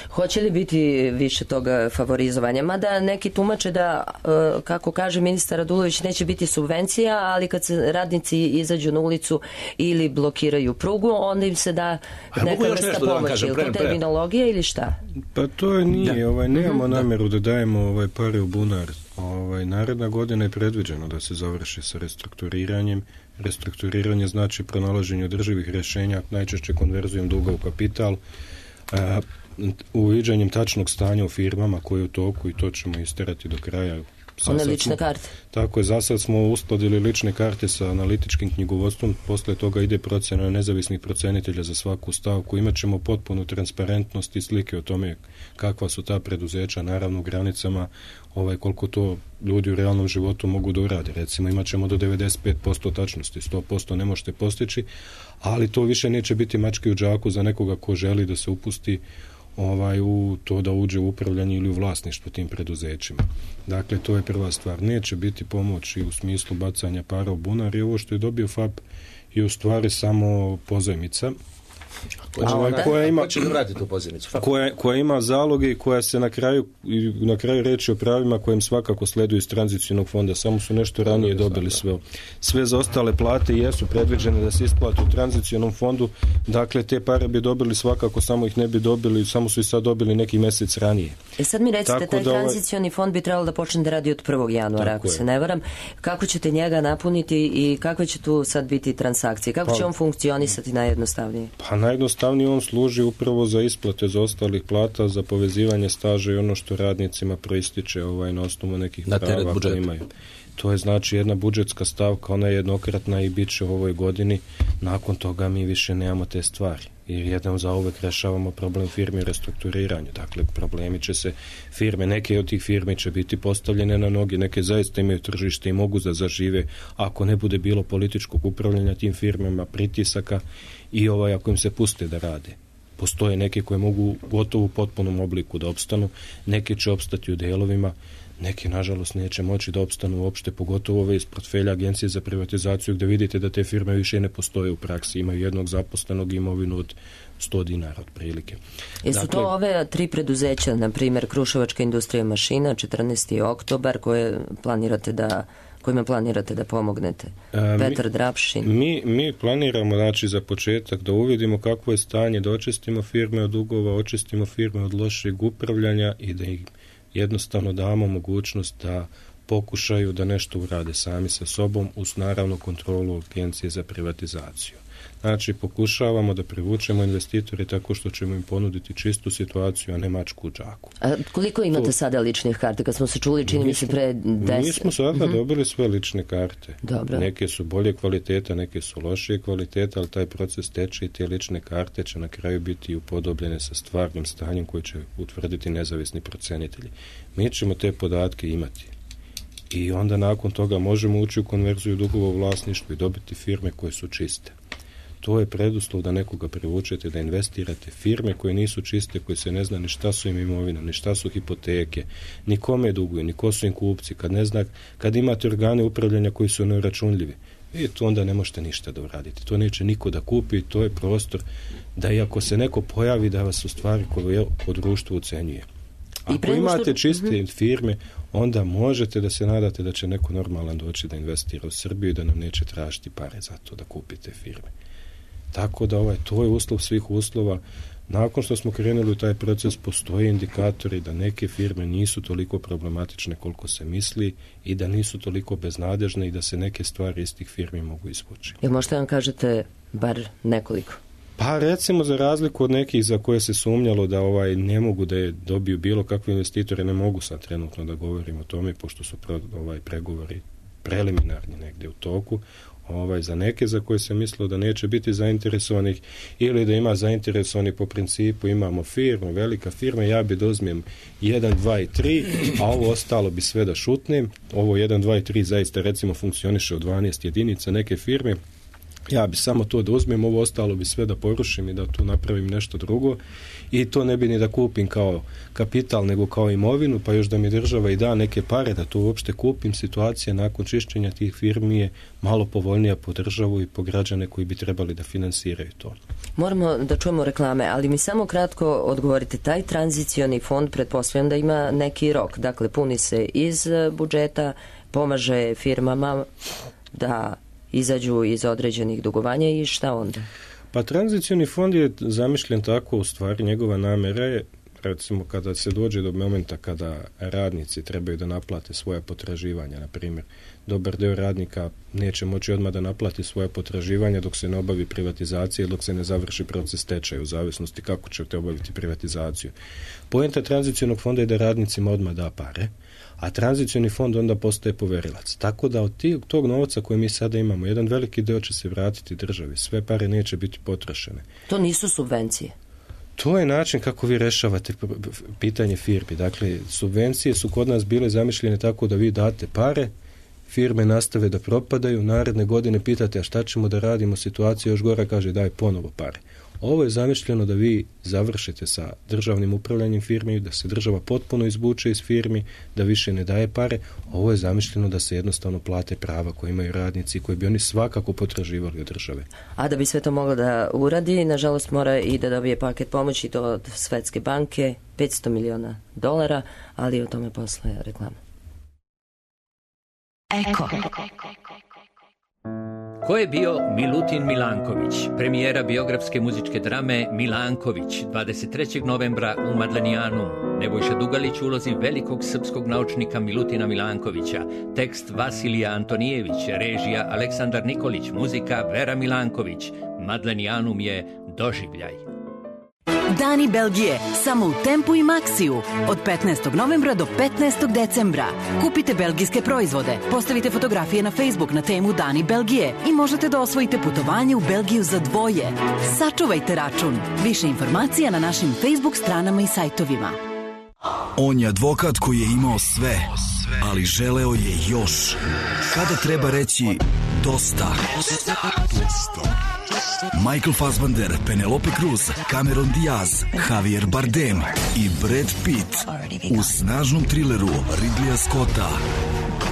Hoće li biti više toga favorizovanja? Mada neki tumače da, kako kaže ministar Radulović, neće biti subvencija, ali kad se radnici izađu na ulicu ili blokiraju prugu, onda im se da neka vrsta pomoći. Je li to terminologija ili šta? Pa to je nije. Ovaj, nemamo namjeru da dajemo ovaj, pare u bunar. Ovaj, naredna godina je predviđeno da se završi sa restrukturiranjem. Restrukturiranje znači pronalaženje održivih rješenja, najčešće konverzijom duga u kapital, a, uviđanjem tačnog stanja u firmama koje je u toku i to ćemo isterati do kraja. One lične karte. Tako je, za sad smo uskladili lične karte sa analitičkim knjigovodstvom, posle toga ide procjena nezavisnih procenitelja za svaku stavku, imat ćemo potpunu transparentnost i slike o tome kakva su ta preduzeća, naravno u granicama ovaj, koliko to ljudi u realnom životu mogu da urade. Recimo imat ćemo do devedeset pet posto tačnosti, sto posto ne možete postići, ali to više neće biti mačke u džaku za nekoga ko želi da se upusti ovaj, u to da uđe u upravljanje ili u vlasništvo tim preduzećima. Dakle, to je prva stvar. Neće biti pomoć i u smislu bacanja para u bunar i ovo što je dobio F A P je u stvari samo pozajmica. Koja, koja ima koja, koja ima zaloge i koja se na kraju na kraju reči o pravima kojim svakako sleduju iz tranzicionog fonda, samo su nešto ranije dobili sve. Sve za ostale plate jesu predviđene da se isplate u tranzicionom fondu, dakle te pare bi dobili svakako, samo ih ne bi dobili, samo su i sad dobili neki mjesec ranije. E sad mi recite, taj da tranzicioni fond bi trebalo da počne da radi od prvog januara, ako je. se ne varam. Kako ćete njega napuniti i kakve će tu sad biti transakcije? Kako pa, će on funkcionisati najjednostavnije? Pa najjednostavnije on služi upravo za isplate za ostalih plata, za povezivanje staža i ono što radnicima proističe ovaj, na osnovu nekih na prava koje imaju. To je znači jedna budžetska stavka, ona je jednokratna i bit će u ovoj godini. Nakon toga mi više nemamo te stvari. Jer jednom za uvek rešavamo problem firme u restrukturiranju. Dakle, problemi će se firme, neke od tih firme će biti postavljene na noge, neke zaista imaju tržište i mogu da zažive ako ne bude bilo političkog upravljanja tim firmama, pritisaka i ovaj, ako im se puste da rade. Postoje neke koje mogu gotovo u potpunom obliku da opstanu, neke će opstati u delovima, neki, nažalost, neće moći da opstanu uopšte, pogotovo ove iz portfelja Agencije za privatizaciju, gde vidite da te firme više ne postoje u praksi, imaju jednog zaposlenog, imovinu od sto dinara otprilike. Jesu dakle, to ove tri preduzeća, na primjer Kruševačka industrija mašina, četrnaesti oktobar, koje planirate da kojima planirate da pomognete? A, Petar mi, Drapšin. Mi, mi planiramo, znači, za početak da uvidimo kakvo je stanje, da očistimo firme od dugova, očistimo firme od lošeg upravljanja i da ih jednostavno damo mogućnost da pokušaju da nešto urade sami sa sobom uz naravno kontrolu Agencije za privatizaciju. Znači, pokušavamo da privučemo investitore tako što ćemo im ponuditi čistu situaciju, a ne mačku u džaku. A koliko imate to, sada ličnih karta? Kad smo se čuli, čini mi se pre deset... Mi smo sada uh-huh. dobili sve lične karte. Dobro. Neke su bolje kvaliteta, neke su lošije kvaliteta, ali taj proces teče i te lične karte će na kraju biti upodobljene sa stvarnim stanjem koje će utvrditi nezavisni procenitelji. Mi ćemo te podatke imati. I onda nakon toga možemo ući u konverziju dugova u vlasništvu i dobiti firme koje su čiste. To je preduslov da nekoga privučete, da investirate firme koje nisu čiste, koje se ne zna ni šta su im imovina, ni šta su hipoteke, ni kome duguju, ni ko su im kupci. Kad ne zna, kad imate organe upravljanja koji su neuračunljivi, i to onda ne možete ništa da uradite. To neće niko da kupi, to je prostor da i ako se neko pojavi da vas u stvari koje po društvu ucenjuje. Ako imate čiste uh-huh. firme, onda možete da se nadate da će neko normalan doći da investira u Srbiju i da nam neće tražiti pare za to da kupite firme. Tako da ovaj, to je uslov svih uslova. Nakon što smo krenuli u taj proces, postoje indikatori da neke firme nisu toliko problematične koliko se misli i da nisu toliko beznadežne i da se neke stvari iz tih firmi mogu izvući. Jel možete vam kažete bar nekoliko? Pa recimo za razliku od nekih za koje se sumnjalo da ovaj ne mogu da je dobiju bilo kakve investitore, ne mogu sad trenutno da govorim o tome pošto su pro, ovaj pregovori preliminarni negdje u toku. Ovaj, za neke za koje se mislilo da neće biti zainteresovanih ili da ima zainteresovani po principu imamo firmu, velika firma, ja bi dozmijem jedan, dva i tri, a ovo ostalo bi sve da šutnem. Ovo jedan, dva i tri zaista recimo funkcioniše od dvanaest jedinica neke firme. Ja bi samo to da uzmem, ovo ostalo bi sve da porušim i da tu napravim nešto drugo i to ne bi ni da kupim kao kapital nego kao imovinu, pa još da mi država i da neke pare da to uopšte kupim. Situacija nakon čišćenja tih firmi je malo povoljnija po državu i po građane koji bi trebali da finansiraju to. Moramo da čujemo reklame, ali mi samo kratko odgovorite, taj tranzicioni fond pretpostavljam da ima neki rok, dakle puni se iz budžeta, pomaže firmama da izađu iz određenih dugovanja i šta onda? Pa tranzicioni fond je zamišljen tako, u stvari njegova namera je, recimo kada se dođe do momenta kada radnici trebaju da naplate svoja potraživanja, na primjer, dobar deo radnika neće moći odmah da naplati svoja potraživanja dok se ne obavi privatizacija, dok se ne završi proces stečaja, u zavisnosti kako ćete obaviti privatizaciju. Poenta tranzicionog fonda je da radnicima odmah da pare, a tranzicioni fond onda postaje poverilac. Tako da od tog novca koje mi sada imamo, jedan veliki deo će se vratiti državi. Sve pare neće biti potrošene. To nisu subvencije? To je način kako vi rešavate pitanje firmi. Dakle, subvencije su kod nas bile zamišljene tako da vi date pare, firme nastave da propadaju, naredne godine pitate a šta ćemo da radimo, situacija još gora, kaže daj ponovo pare. Ovo je zamišljeno da vi završite sa državnim upravljanjem firmi, da se država potpuno izvuče iz firmi, da više ne daje pare. Ovo je zamišljeno da se jednostavno plate prava koje imaju radnici, koje bi oni svakako potraživali od države. A da bi sve to moglo da uradi, nažalost mora i da dobije paket pomoći, to od Svetske banke, petsto miliona dolara, ali o tome posle reklama. Eko. Ko je bio Milutin Milanković, premijera biografske muzičke drame Milanković, dvadeset trećeg novembra u Madlenijanu. Nebojša Dugalić u ulozi velikog srpskog naučnika Milutina Milankovića, tekst Vasilija Antonijević, režija Aleksandar Nikolić, muzika Vera Milanković. Madlenijanum je doživljaj. Dani Belgije, samo u Tempu i Maxiju. Od petnaestog novembra do petnaestog decembra. Kupite belgijske proizvode, postavite fotografije na Facebook na temu Dani Belgije i možete da osvojite putovanje u Belgiju za dvoje. Sačuvajte račun. Više informacija na našim Facebook stranama i sajtovima. On je advokat koji je imao sve, ali želeo je još. Kada treba reći dosta? Michael Fassbender, Penelope Cruz, Cameron Diaz, Javier Bardem i Brad Pitt u snažnom trileru Ridleya Scotta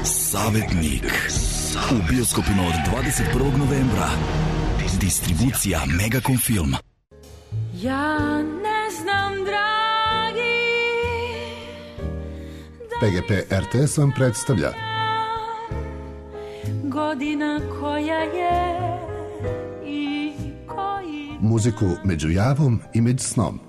Savetnik u bioskopima od dvadeset prvog novembra. Distribucija Megacom Film. Ja ne znam, dragi, P G P R T S vam predstavlja godina koja je i koji... muziku među javom i među snom.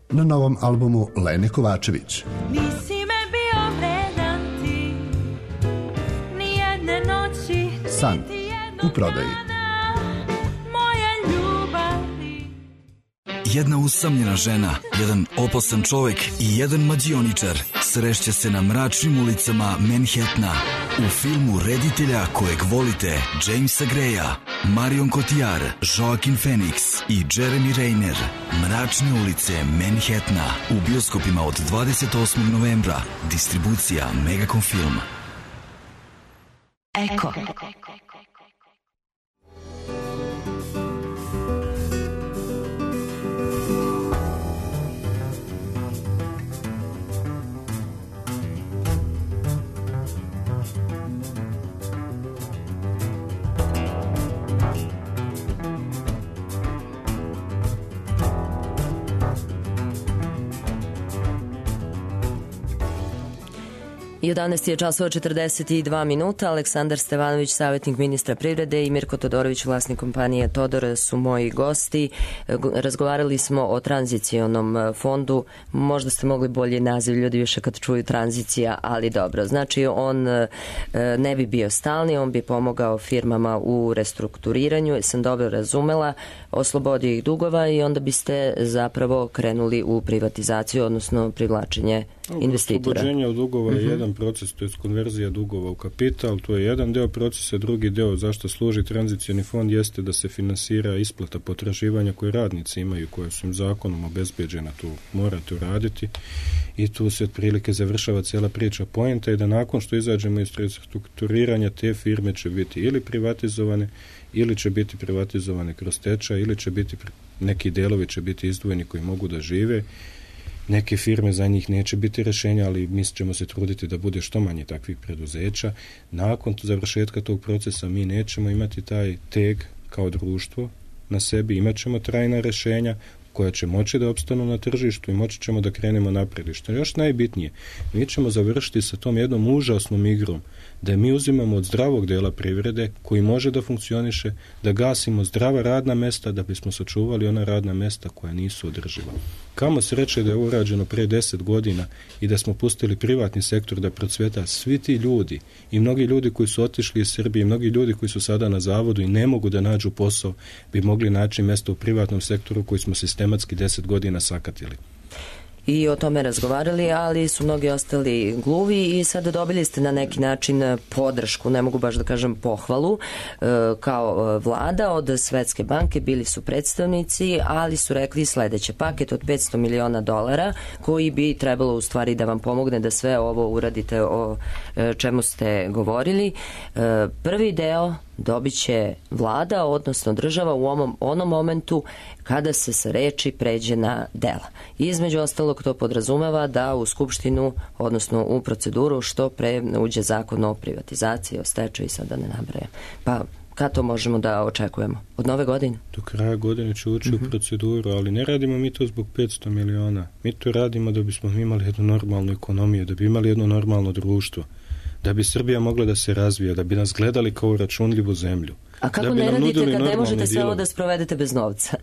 Na novom albumu Lene Kovačević. Nisi me bio vredan ti, nijedne noći, San u prodaji. moje ljubavi. Jedna usamljena žena, jedan opasan čovek i jedan mađioničar srešće se na mračnim ulicama Manhattana u filmu reditelja kojeg volite Jamesa Greya, Marion Cotillard, Joaquin Phoenix i Jeremy Renner. Mračne ulice Manhattana u bioskopima od dvadeset osmog novembra. Distribucija Megacom Film. Eko. jedanaest je časova četrdeset dva minuta. Aleksandar Stevanović, savjetnik ministra privrede, i Mirko Todorović, vlasnik kompanije Todor, su moji gosti. Razgovarali smo o tranzicionom fondu. Možda ste mogli bolje naziv, ljudi više kad čuju tranzicija, ali dobro. Znači, on ne bi bio stalni, on bi pomogao firmama u restrukturiranju, sam dobro razumela, oslobodio ih dugova i onda biste zapravo krenuli u privatizaciju, odnosno privlačenje investitora. Oslobođenje od dugova je uh-huh. jedan proces, to je konverzija dugova u kapital, to je jedan deo procesa, drugi deo zašto služi tranzicioni fond jeste da se finansira isplata potraživanja koje radnici imaju, koje su im zakonom obezbeđena, tu morate uraditi i tu se otprilike završava cijela priča. Poenta je da nakon što izađemo iz restrukturiranja, te firme će biti ili privatizovane, ili će biti privatizovane kroz stečaj, ili će biti, neki delovi će biti izdvojeni koji mogu da žive. Neke firme, za njih neće biti rješenja, ali mi ćemo se truditi da bude što manje takvih preduzeća. Nakon završetka tog procesa mi nećemo imati taj teg kao društvo na sebi, imat ćemo trajna rješenja koja će moći da opstanu na tržištu i moći ćemo da krenemo naprijed. Što je još najbitnije, mi ćemo završiti sa tom jednom užasnom igrom da mi uzimamo od zdravog dela privrede koji može da funkcioniše, da gasimo zdrava radna mesta da bismo sačuvali ona radna mesta koja nisu održiva. Kamo sreće da je ovo urađeno pre deset godina i da smo pustili privatni sektor da procveta. Svi ti ljudi i mnogi ljudi koji su otišli iz Srbije i mnogi ljudi koji su sada na zavodu i ne mogu da nađu posao bi mogli naći mjesto u privatnom sektoru koji smo sistematski deset godina sakatili. I o tome razgovarali, ali su mnogi ostali gluvi i sada dobili ste na neki način podršku, ne mogu baš da kažem pohvalu, kao vlada od Svetske banke, bili su predstavnici, ali su rekli sledeće: paket od petsto miliona dolara koji bi trebalo u stvari da vam pomogne da sve ovo uradite o čemu ste govorili. Prvi deo dobit će vlada, odnosno država u onom, onom momentu kada se sa reči pređe na dela. I između ostalog to podrazumeva da u Skupštinu, odnosno u proceduru, što pre uđe zakon o privatizaciji, o stečaju i sada ne nabrajam. Pa kad to možemo da očekujemo? Od nove godine? Do kraja godine će ući uh-huh. u proceduru, ali ne radimo mi to zbog petsto miliona. Mi to radimo da bismo imali jednu normalnu ekonomiju, da bi imali jedno normalno društvo, da bi Srbija mogla da se razvija, da bi nas gledali kao računljivu zemlju. A kako ne radite kad ne možete sve ovo da sprovedete bez novca?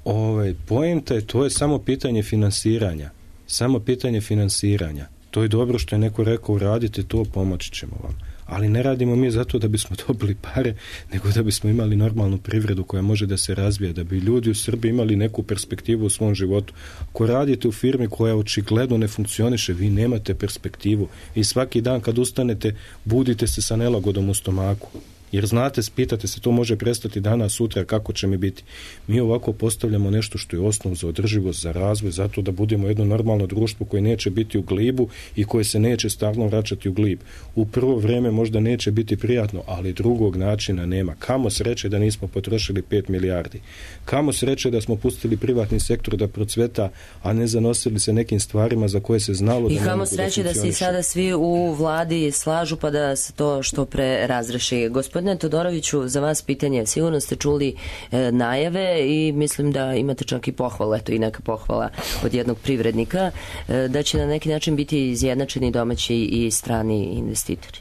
Ovaj, poenta je, to je samo pitanje finansiranja. Samo pitanje finansiranja. To je dobro što je neko rekao, uradite to, pomoći ćemo vam. Ali ne radimo mi zato da bismo dobili pare, nego da bismo imali normalnu privredu koja može da se razvija, da bi ljudi u Srbiji imali neku perspektivu u svom životu. Ako radite u firmi koja očigledno ne funkcioniše, vi nemate perspektivu i svaki dan kad ustanete, budite se sa nelagodom u stomaku. Jer znate, pitate se, to može prestati danas, sutra, kako će mi biti. Mi ovako postavljamo nešto što je osnov za održivost, za razvoj, zato da budemo jedno normalno društvo koje neće biti u glibu i koje se neće stalno vraćati u glib. U prvo vrijeme možda neće biti prijatno, ali drugog načina nema. Kamo sreće da nismo potrošili pet milijardi. Kamo sreće da smo pustili privatni sektor da procveta, a ne zanosili se nekim stvarima za koje se znalo da ne mogu da funkcioniše. I kamo sreće da se i sada svi u vladi slažu pa da se to što pre razreši. Gospodine Todoroviću, za vas pitanje. Sigurno ste čuli e, najave i mislim da imate čak i pohvala, eto i neka pohvala od jednog privrednika, e, da će na neki način biti izjednačeni domaći i strani investitori.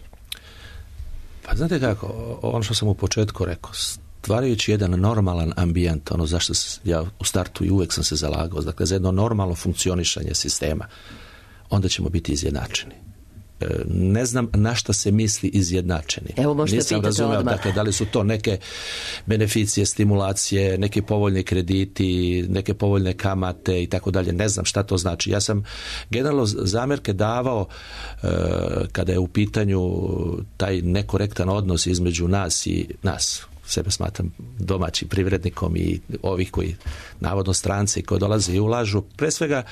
Pa znate kako, ono što sam u početku rekao, stvarajući jedan normalan ambijent, ono zašto ja u startu i uvek sam se zalagao, dakle za jedno normalno funkcionišanje sistema, onda ćemo biti izjednačeni. Ne znam na šta se misli izjednačeni. Evo, možete Nisam pitati razumeo, odmah. dakle, da li su to neke beneficije, stimulacije, neki povoljni krediti, neke povoljne kamate i tako dalje. Ne znam šta to znači. Ja sam generalno zamjerke davao e, kada je u pitanju taj nekorektan odnos između nas i nas. Sebe smatram domaćim privrednikom i ovih koji navodno stranci koji dolaze i ulažu pre svega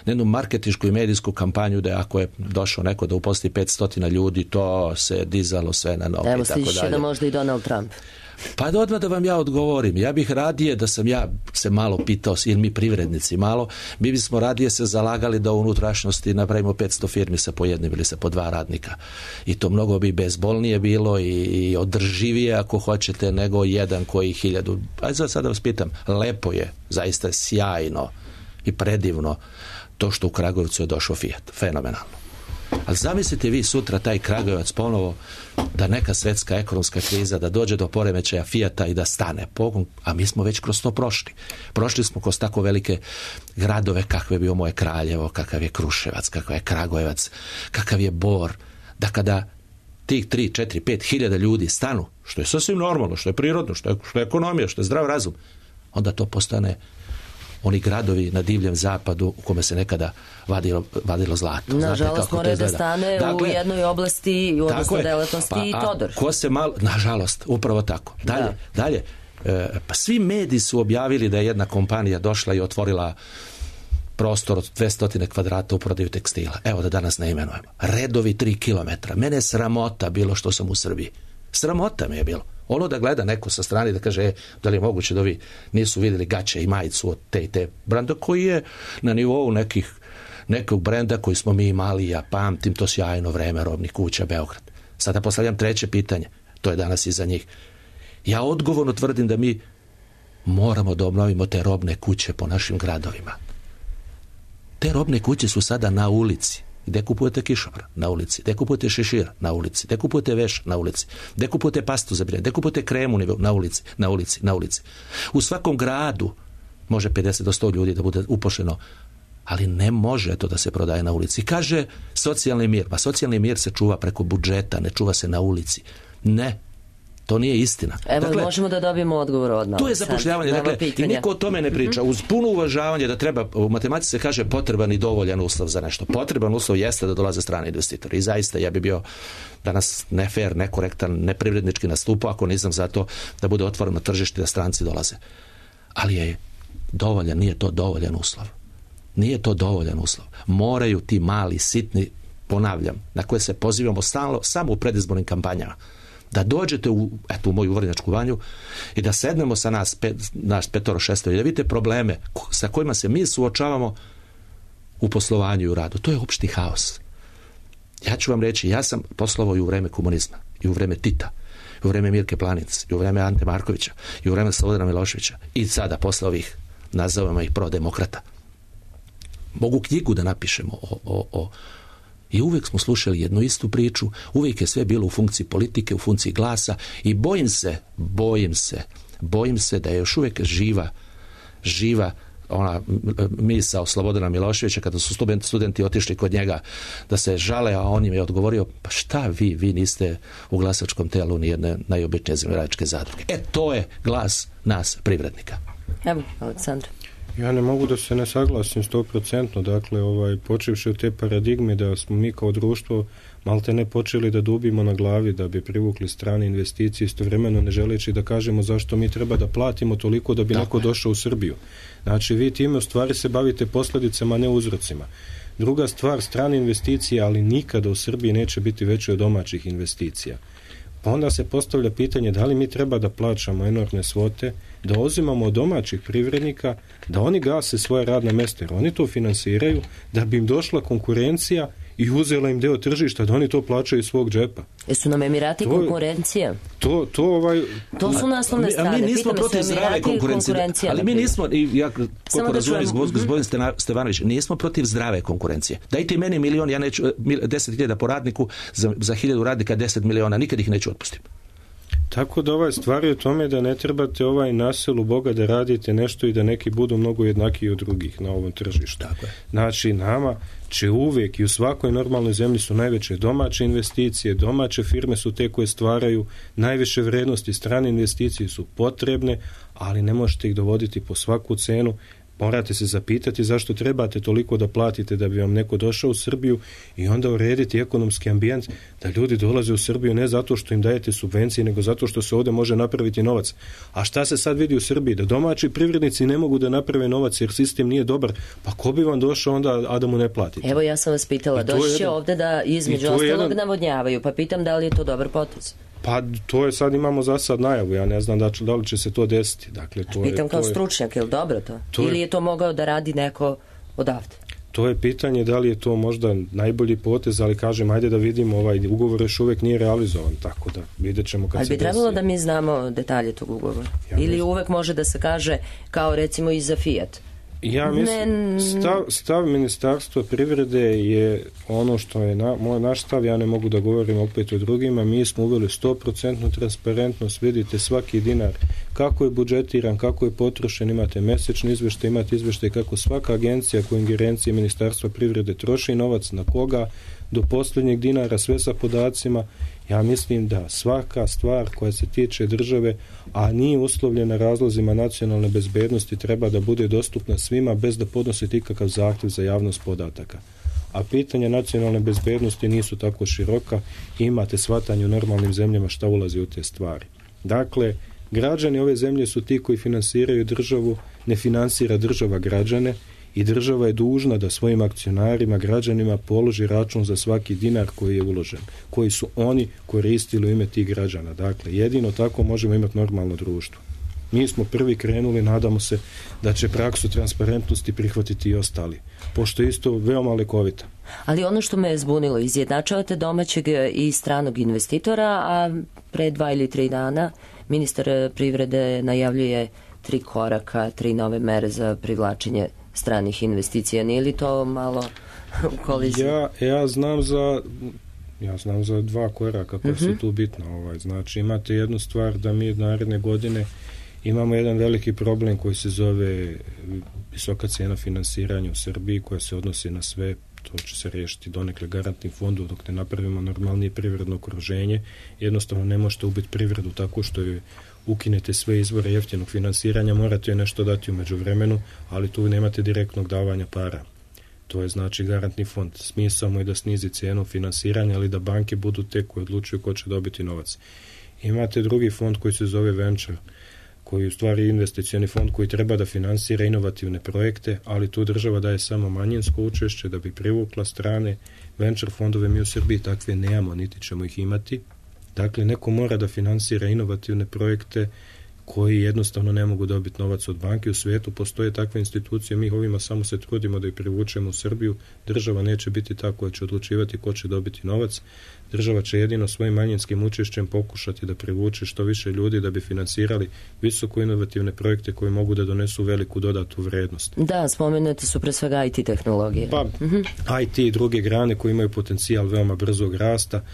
na jednu marketinšku i medijsku kampanju da ako je došao neko da uposli petsto ljudi, to se dizalo sve na noge. Evo stiže da možda i Donald Trump. Pa da odmah da vam ja odgovorim. Ja bih radije da sam ja se malo pitao, ili mi privrednici malo, mi bismo radije se zalagali da u unutrašnjosti napravimo petsto firmi sa po jednim ili sa po dva radnika. I to mnogo bi bezbolnije bilo i, i održivije ako hoćete nego jedan koji hiljadu. Ajde sad da vas pitam, lepo je, zaista je sjajno i predivno to što u Kragujevcu je došao Fiat. Fenomenalno. Ali zamislite vi sutra taj Kragujevac ponovo da neka svetska ekonomska kriza, da dođe do poremećaja Fijata i da stane pogon, a mi smo već kroz to prošli. Prošli smo kroz tako velike gradove kakve je bio moje Kraljevo, kakav je Kruševac, kakav je Kragujevac, kakav je Bor, da kada tih tri, četiri, pet hiljada ljudi stanu, što je sasvim normalno, što je prirodno, što je, što je ekonomija, što je zdrav razum, onda to postane oni gradovi na divljem zapadu u kome se nekada vadilo, vadilo zlato. Nažalost mora da stane dakle, u jednoj oblasti, odnosno delatnosti pa, i Todor. Ko se malo, nažalost, upravo tako. Dalje, da. dalje e, pa svi mediji su objavili da je jedna kompanija došla i otvorila prostor od dvesta kvadrata u prodaju tekstila. Evo da danas ne imenujemo. Redovi tri kilometra. Mene je sramota bilo što sam u Srbiji. Sramota me je bilo. Ono da gleda neko sa strane da kaže e, da li je moguće da vi nisu vidjeli gaće i majicu od te i te brenda koji je na nivou nekih nekog brenda koji smo mi imali, ja pamtim to sjajno vreme robnih kuća Beograd. Sada postavljam treće pitanje, to je danas iza njih. Ja odgovorno tvrdim da mi moramo da obnovimo te robne kuće po našim gradovima. Te robne kuće su sada na ulici. Gde kupujete kišobran? Na ulici. Gde kupujete šešir? Na ulici. Gde kupujete veš? Na ulici. Gde kupujete pastu za brijanje? Gde kupujete kremu? Na ulici. Na ulici. Na ulici. U svakom gradu može pedeset do sto ljudi da bude upošljeno, ali ne može to da se prodaje na ulici. Kaže socijalni mir. Pa socijalni mir se čuva preko budžeta, ne čuva se na ulici. Ne. To nije istina. Evo, dakle, možemo da dobijemo odgovor odmah. Tu je zapošljavanje, dakle, i niko o tome ne priča. Uz puno uvažavanje da treba, u matematici se kaže potreban i dovoljan uslov za nešto. Potreban uslov jeste da dolaze strani investitori. I zaista ja bi bio danas nefer, nekorektan, neprivrednički nastupao ako nisam za to da bude otvoreno tržište da stranci dolaze. Ali je dovoljan, nije to dovoljan uslov. Nije to dovoljan uslov. Moraju ti mali, sitni, ponavljam, na koje se pozivamo stalno, samo u predizbornim kampanjama, da dođete u, eto, u moju Vrnjačku banju i da sednemo sa nas, pet, naš petoro šesto i da vidite probleme sa kojima se mi suočavamo u poslovanju i u radu. To je opšti haos. Ja ću vam reći, ja sam poslovao i u vreme komunizma, i u vreme Tita, i u vreme Mirke Planinc, i u vreme Ante Markovića, i u vreme Slobodana Miloševića, i sada posle ovih, nazovemo ih prodemokrata. Mogu knjigu da napišemo o, o, o i uvijek smo slušali jednu istu priču, uvijek je sve bilo u funkciji politike, u funkciji glasa i bojim se, bojim se, bojim se da je još uvijek živa, živa ona misao Slobodana Miloševića kada su studenti, studenti otišli kod njega da se žale, a on im je odgovorio, pa šta vi, vi niste u glasačkom telu ni jedne najobičnije zemljoradničke zadruge. E, to je glas nas privrednika. Evo, Aleksandra. Ja ne mogu da se ne saglasim sto procentno, dakle, ovaj, počevši od te paradigme da smo mi kao društvo malte ne počeli da dubimo na glavi da bi privukli strane investicije, istovremeno ne želeći da kažemo zašto mi treba da platimo toliko da bi Tako neko je. došao u Srbiju. Znači, vi time u stvari se bavite posljedicama, a ne uzrocima. Druga stvar, strane investicije, ali nikada u Srbiji neće biti veće od domaćih investicija. Pa onda se postavlja pitanje da li mi treba da plaćamo enormne svote, da uzimamo od domaćih privrednika, da oni gase svoje radne mjesta, jer oni to finansiraju, da bi im došla konkurencija i uzela im deo tržišta, da oni to plaćaju iz svog džepa. Jesu nam Emirati to, konkurencija? To, to, ovaj... to su naslovne strane. A mi nismo protiv zdrave konkurencije, ali mi nismo, i ja koliko razumijem gospodin Stevanović, nismo protiv zdrave konkurencije. Dajte meni milion, ja neću, deset hiljada po radniku, za, za hiljadu radnika deset miliona, nikad ih neću otpustiti. Tako da ovaj stvar je u tome da ne trebate ovaj na selu Boga da radite nešto i da neki budu mnogo jednakiji od drugih na ovom tržištu. Tako je. Znači, nama će uvijek i u svakoj normalnoj zemlji su najveće domaće investicije, domaće firme su te koje stvaraju najviše vrednosti, strane investicije su potrebne, ali ne možete ih dovoditi po svaku cenu. Morate se zapitati zašto trebate toliko da platite da bi vam neko došao u Srbiju i onda urediti ekonomski ambijent da ljudi dolaze u Srbiju ne zato što im dajete subvencije, nego zato što se ovdje može napraviti novac. A šta se sad vidi u Srbiji? Da domaći privrednici ne mogu da naprave novac jer sistem nije dobar, pa ko bi vam došao onda, a da mu ne platite? Evo ja sam vas pitala, doći će ovdje da između ostalog jedan... navodnjavaju, pa pitam da li je to dobar potez? Pa to je sad, imamo za sad najavu, ja ne znam da, da li će se to desiti. Dakle, to pitam je, kao to stručnjak, je li dobro to? to Ili je, je to mogao da radi neko odavde? To je pitanje da li je to možda najbolji potez, ali kažem, ajde da vidimo, ovaj ugovor još uvijek nije realizovan, tako da vidjet ćemo kad ali se bi trebalo da mi znamo detalje tog ugovora. Ja Ili uvek može da se kaže kao recimo i za Fiat. Ja mislim, stav, stav Ministarstva privrede je ono što je na, moj naš stav, ja ne mogu da govorim opet o drugima, mi smo uveli sto procentnu transparentnost, vidite svaki dinar, kako je budžetiran, kako je potrošen, imate mesečni izveštaj, imate izveštaj kako svaka agencija koja ingerencije Ministarstva privrede troši novac, na koga, do posljednjeg dinara, sve sa podacima. Ja mislim da svaka stvar koja se tiče države, a nije uslovljena razlozima nacionalne bezbednosti, treba da bude dostupna svima bez da podnosite ikakav zahtjev za javnost podataka. A pitanja nacionalne bezbednosti nisu tako široka i imate shvatanje u normalnim zemljama šta ulazi u te stvari. Dakle, građani ove zemlje su ti koji finansiraju državu, ne finansira država građane, i država je dužna da svojim akcionarima, građanima položi račun za svaki dinar koji je uložen, koji su oni koristili u ime tih građana. Dakle, jedino tako možemo imati normalno društvo. Mi smo prvi krenuli, nadamo se da će praksu transparentnosti prihvatiti i ostali, pošto je isto veoma lekovita. Ali ono što me je zbunilo, izjednačavate domaćeg i stranog investitora, a pre dva ili tri dana ministar privrede najavljuje tri koraka, tri nove mere za privlačenje stranih investicija. Nije li to malo u koliziji? Ja, ja znam za ja znam za dva koraka koja uh-huh. su tu bitna. Ovaj. Znači, imate jednu stvar da mi naredne godine imamo jedan veliki problem koji se zove visoka cijena finansiranja u Srbiji, koja se odnosi na sve. To će se riješiti donekle garantnim fondom dok ne napravimo normalnije privredno okruženje. Jednostavno ne možete ubiti privredu tako što je ukinete sve izvore jeftinog finansiranja, morate joj nešto dati u međuvremenu, ali tu nemate direktnog davanja para. To je znači garantni fond. Smisao mu je da snizi cijenu finansiranja, ali da banke budu te koje odlučuju ko će dobiti novac. Imate drugi fond koji se zove Venture, koji je u stvari investicioni fond koji treba da finansira inovativne projekte, ali tu država daje samo manjinsko učešće da bi privukla strane. Venture fondove mi u Srbiji takve nemamo, niti ćemo ih imati. Dakle, neko mora da finansira inovativne projekte koji jednostavno ne mogu dobiti novac od banke. U svijetu postoje takve institucije, mi ovima samo se trudimo da ih privučemo u Srbiju. Država neće biti ta koja će odlučivati ko će dobiti novac. Država će jedino svojim manjinskim učešćem pokušati da privuče što više ljudi da bi finansirali visoko inovativne projekte koji mogu da donesu veliku dodatu vrednost. Da, spomenute su pre svega I T tehnologije. Pa, uh-huh. I T i druge grane koji imaju potencijal veoma brzog rasta.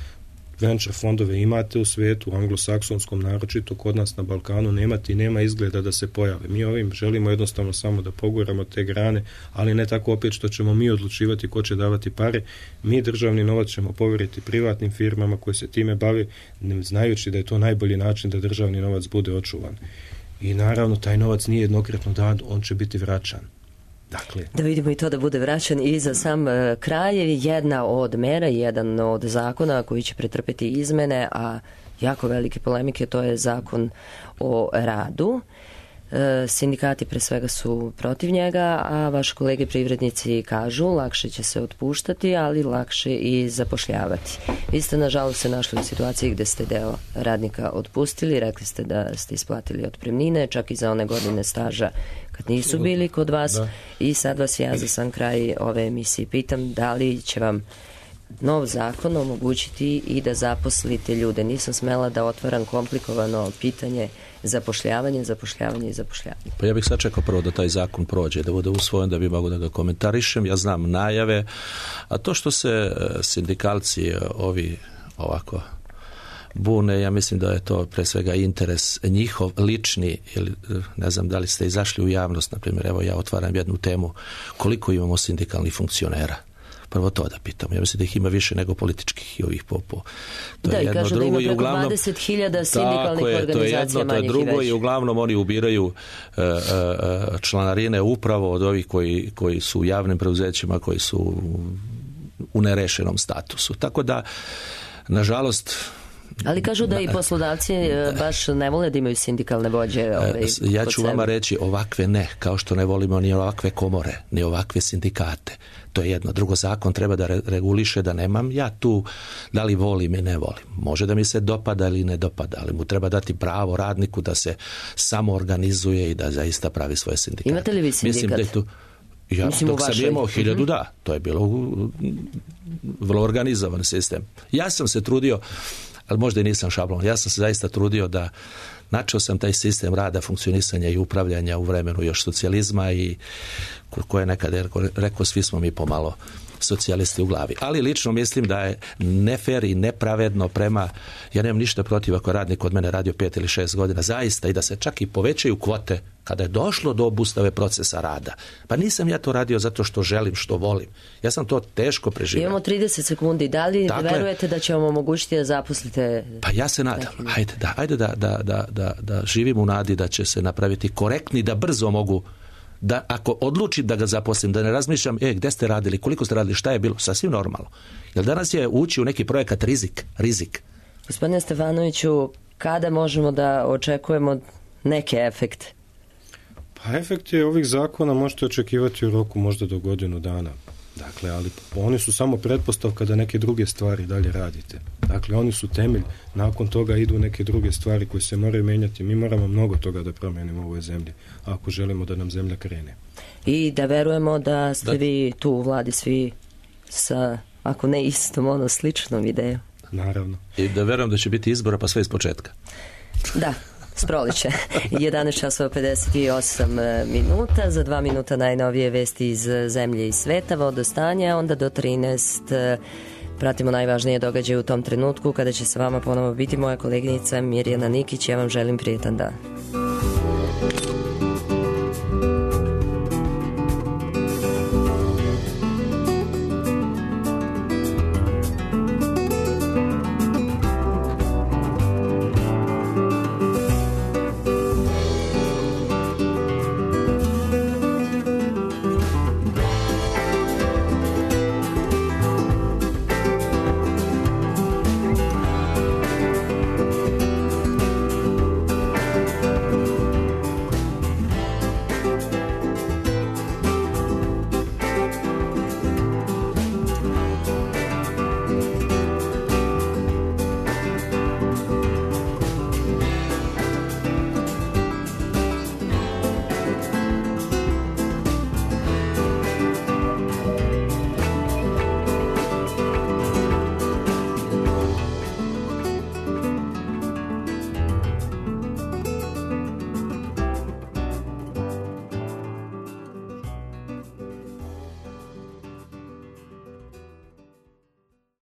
Venture fondove imate u svijetu, u anglosaksonskom naročito, kod nas na Balkanu nemate i nema izgleda da se pojave. Mi ovim želimo jednostavno samo da poguramo te grane, ali ne tako opet što ćemo mi odlučivati ko će davati pare. Mi državni novac ćemo povjeriti privatnim firmama koje se time bave, ne znajući da je to najbolji način da državni novac bude očuvan. i naravno taj novac nije jednokratno dan, on će biti vraćan. Dakle. Da vidimo i to da bude vraćan i za sam kraj jedna od mera, jedan od zakona koji će pretrpeti izmene, a jako velike polemike, to je zakon o radu. Sindikati pre svega su protiv njega, a vaši kolege privrednici kažu lakše će se otpuštati, ali lakše i zapošljavati. Vi ste nažalost se našli u situaciji gde ste deo radnika otpustili, rekli ste da ste isplatili otpremnine, čak i za one godine staža kad nisu bili kod vas, da. I sad vas ja za sam kraj ove emisije pitam da li će vam nov zakon omogućiti i da zaposlite ljude. Nisam smela da otvaram komplikovano pitanje zapošljavanje, zapošljavanje i zapošljavanje. Pa ja bih sad čekao prvo da taj zakon prođe, da bude usvojen, da bi mogu da ga komentarišem. Ja znam najave, a to što se sindikalci ovi ovako bune, ja mislim da je to pre svega interes njihov lični, ili ne znam da li ste izašli u javnost, na primjer, evo ja otvaram jednu temu, koliko imamo sindikalnih funkcionera. Prvo to da pitam. Ja mislim da ih ima više nego političkih i ovih popo. To da, je i jedno, kažu drugo, da ima preko dvadeset hiljada sindikalnih je, organizacija to je jedno, to je drugo i uglavnom oni ubiraju uh, uh, članarine upravo od ovih koji, koji su u javnim preuzećima, koji su u nerešenom statusu. Tako da, nažalost, ali kažu da i poslodavci baš ne vole da imaju sindikalne vođe. Ovaj, ja ću vama reći ovakve ne, kao što ne volimo ni ovakve komore, ni ovakve sindikate. To je jedno. Drugo, zakon treba da reguliše da nemam ja tu da li volim i ne volim. Može da mi se dopada ili ne dopada, ali mu treba dati pravo radniku da se samo organizuje i da zaista pravi svoje sindikate. Imate li vi sindikat? Mislim da je tu, ja, Mislim dok sam imao hiljadu, da, to je bilo vrlo organizovan sistem. Ja sam se trudio, ali možda i nisam šablon, ja sam se zaista trudio da načeo sam taj sistem rada, funkcionisanja i upravljanja u vremenu još socijalizma i koje nekada je rekao, svi smo mi pomalo socijalisti u glavi. Ali lično mislim da je nefer i nepravedno prema, ja nemam ništa protiv ako radnik od mene radio pet ili šest godina, zaista, i da se čak i povećaju kvote kada je došlo do obustave procesa rada. Pa nisam ja to radio zato što želim, što volim. Ja sam to teško preživio. Imamo trideset sekundi. Da li dakle, verujete da će vam omogućiti da zaposlite? Pa ja se nadam. Ajde, da, ajde da, da, da, da, da živim u nadi da će se napraviti korektni, da brzo mogu, da ako odlučim da ga zaposlim, da ne razmišljam, e, gde ste radili, koliko ste radili, šta je bilo, sasvim normalno. Jer danas je ući u neki projekat rizik, rizik. Gospodine Stefanoviću, kada možemo da očekujemo neke efekte? Pa efekte ovih zakona možete očekivati u roku možda do godinu dana. Dakle, ali oni su samo pretpostavka da neke druge stvari dalje radite. Dakle, oni su temelj, nakon toga idu neke druge stvari koje se moraju menjati. Mi moramo mnogo toga da promenimo u ovoj zemlji, ako želimo da nam zemlja krene. I da verujemo da ste da. vi tu u vladi svi sa, ako ne istom, ono sličnom idejom. Naravno. I da verujem da će biti izbora pa sve iz početka. Da. Sproleće. jedanaest časova pedeset osam minuta, za dva minuta najnovije vesti iz zemlje i sveta, vodostanja, onda do trinaest pratimo najvažnije događaje u tom trenutku kada će sa vama ponovo biti moja koleginica Mirjana Nikić. Ja vam želim prijetan dan.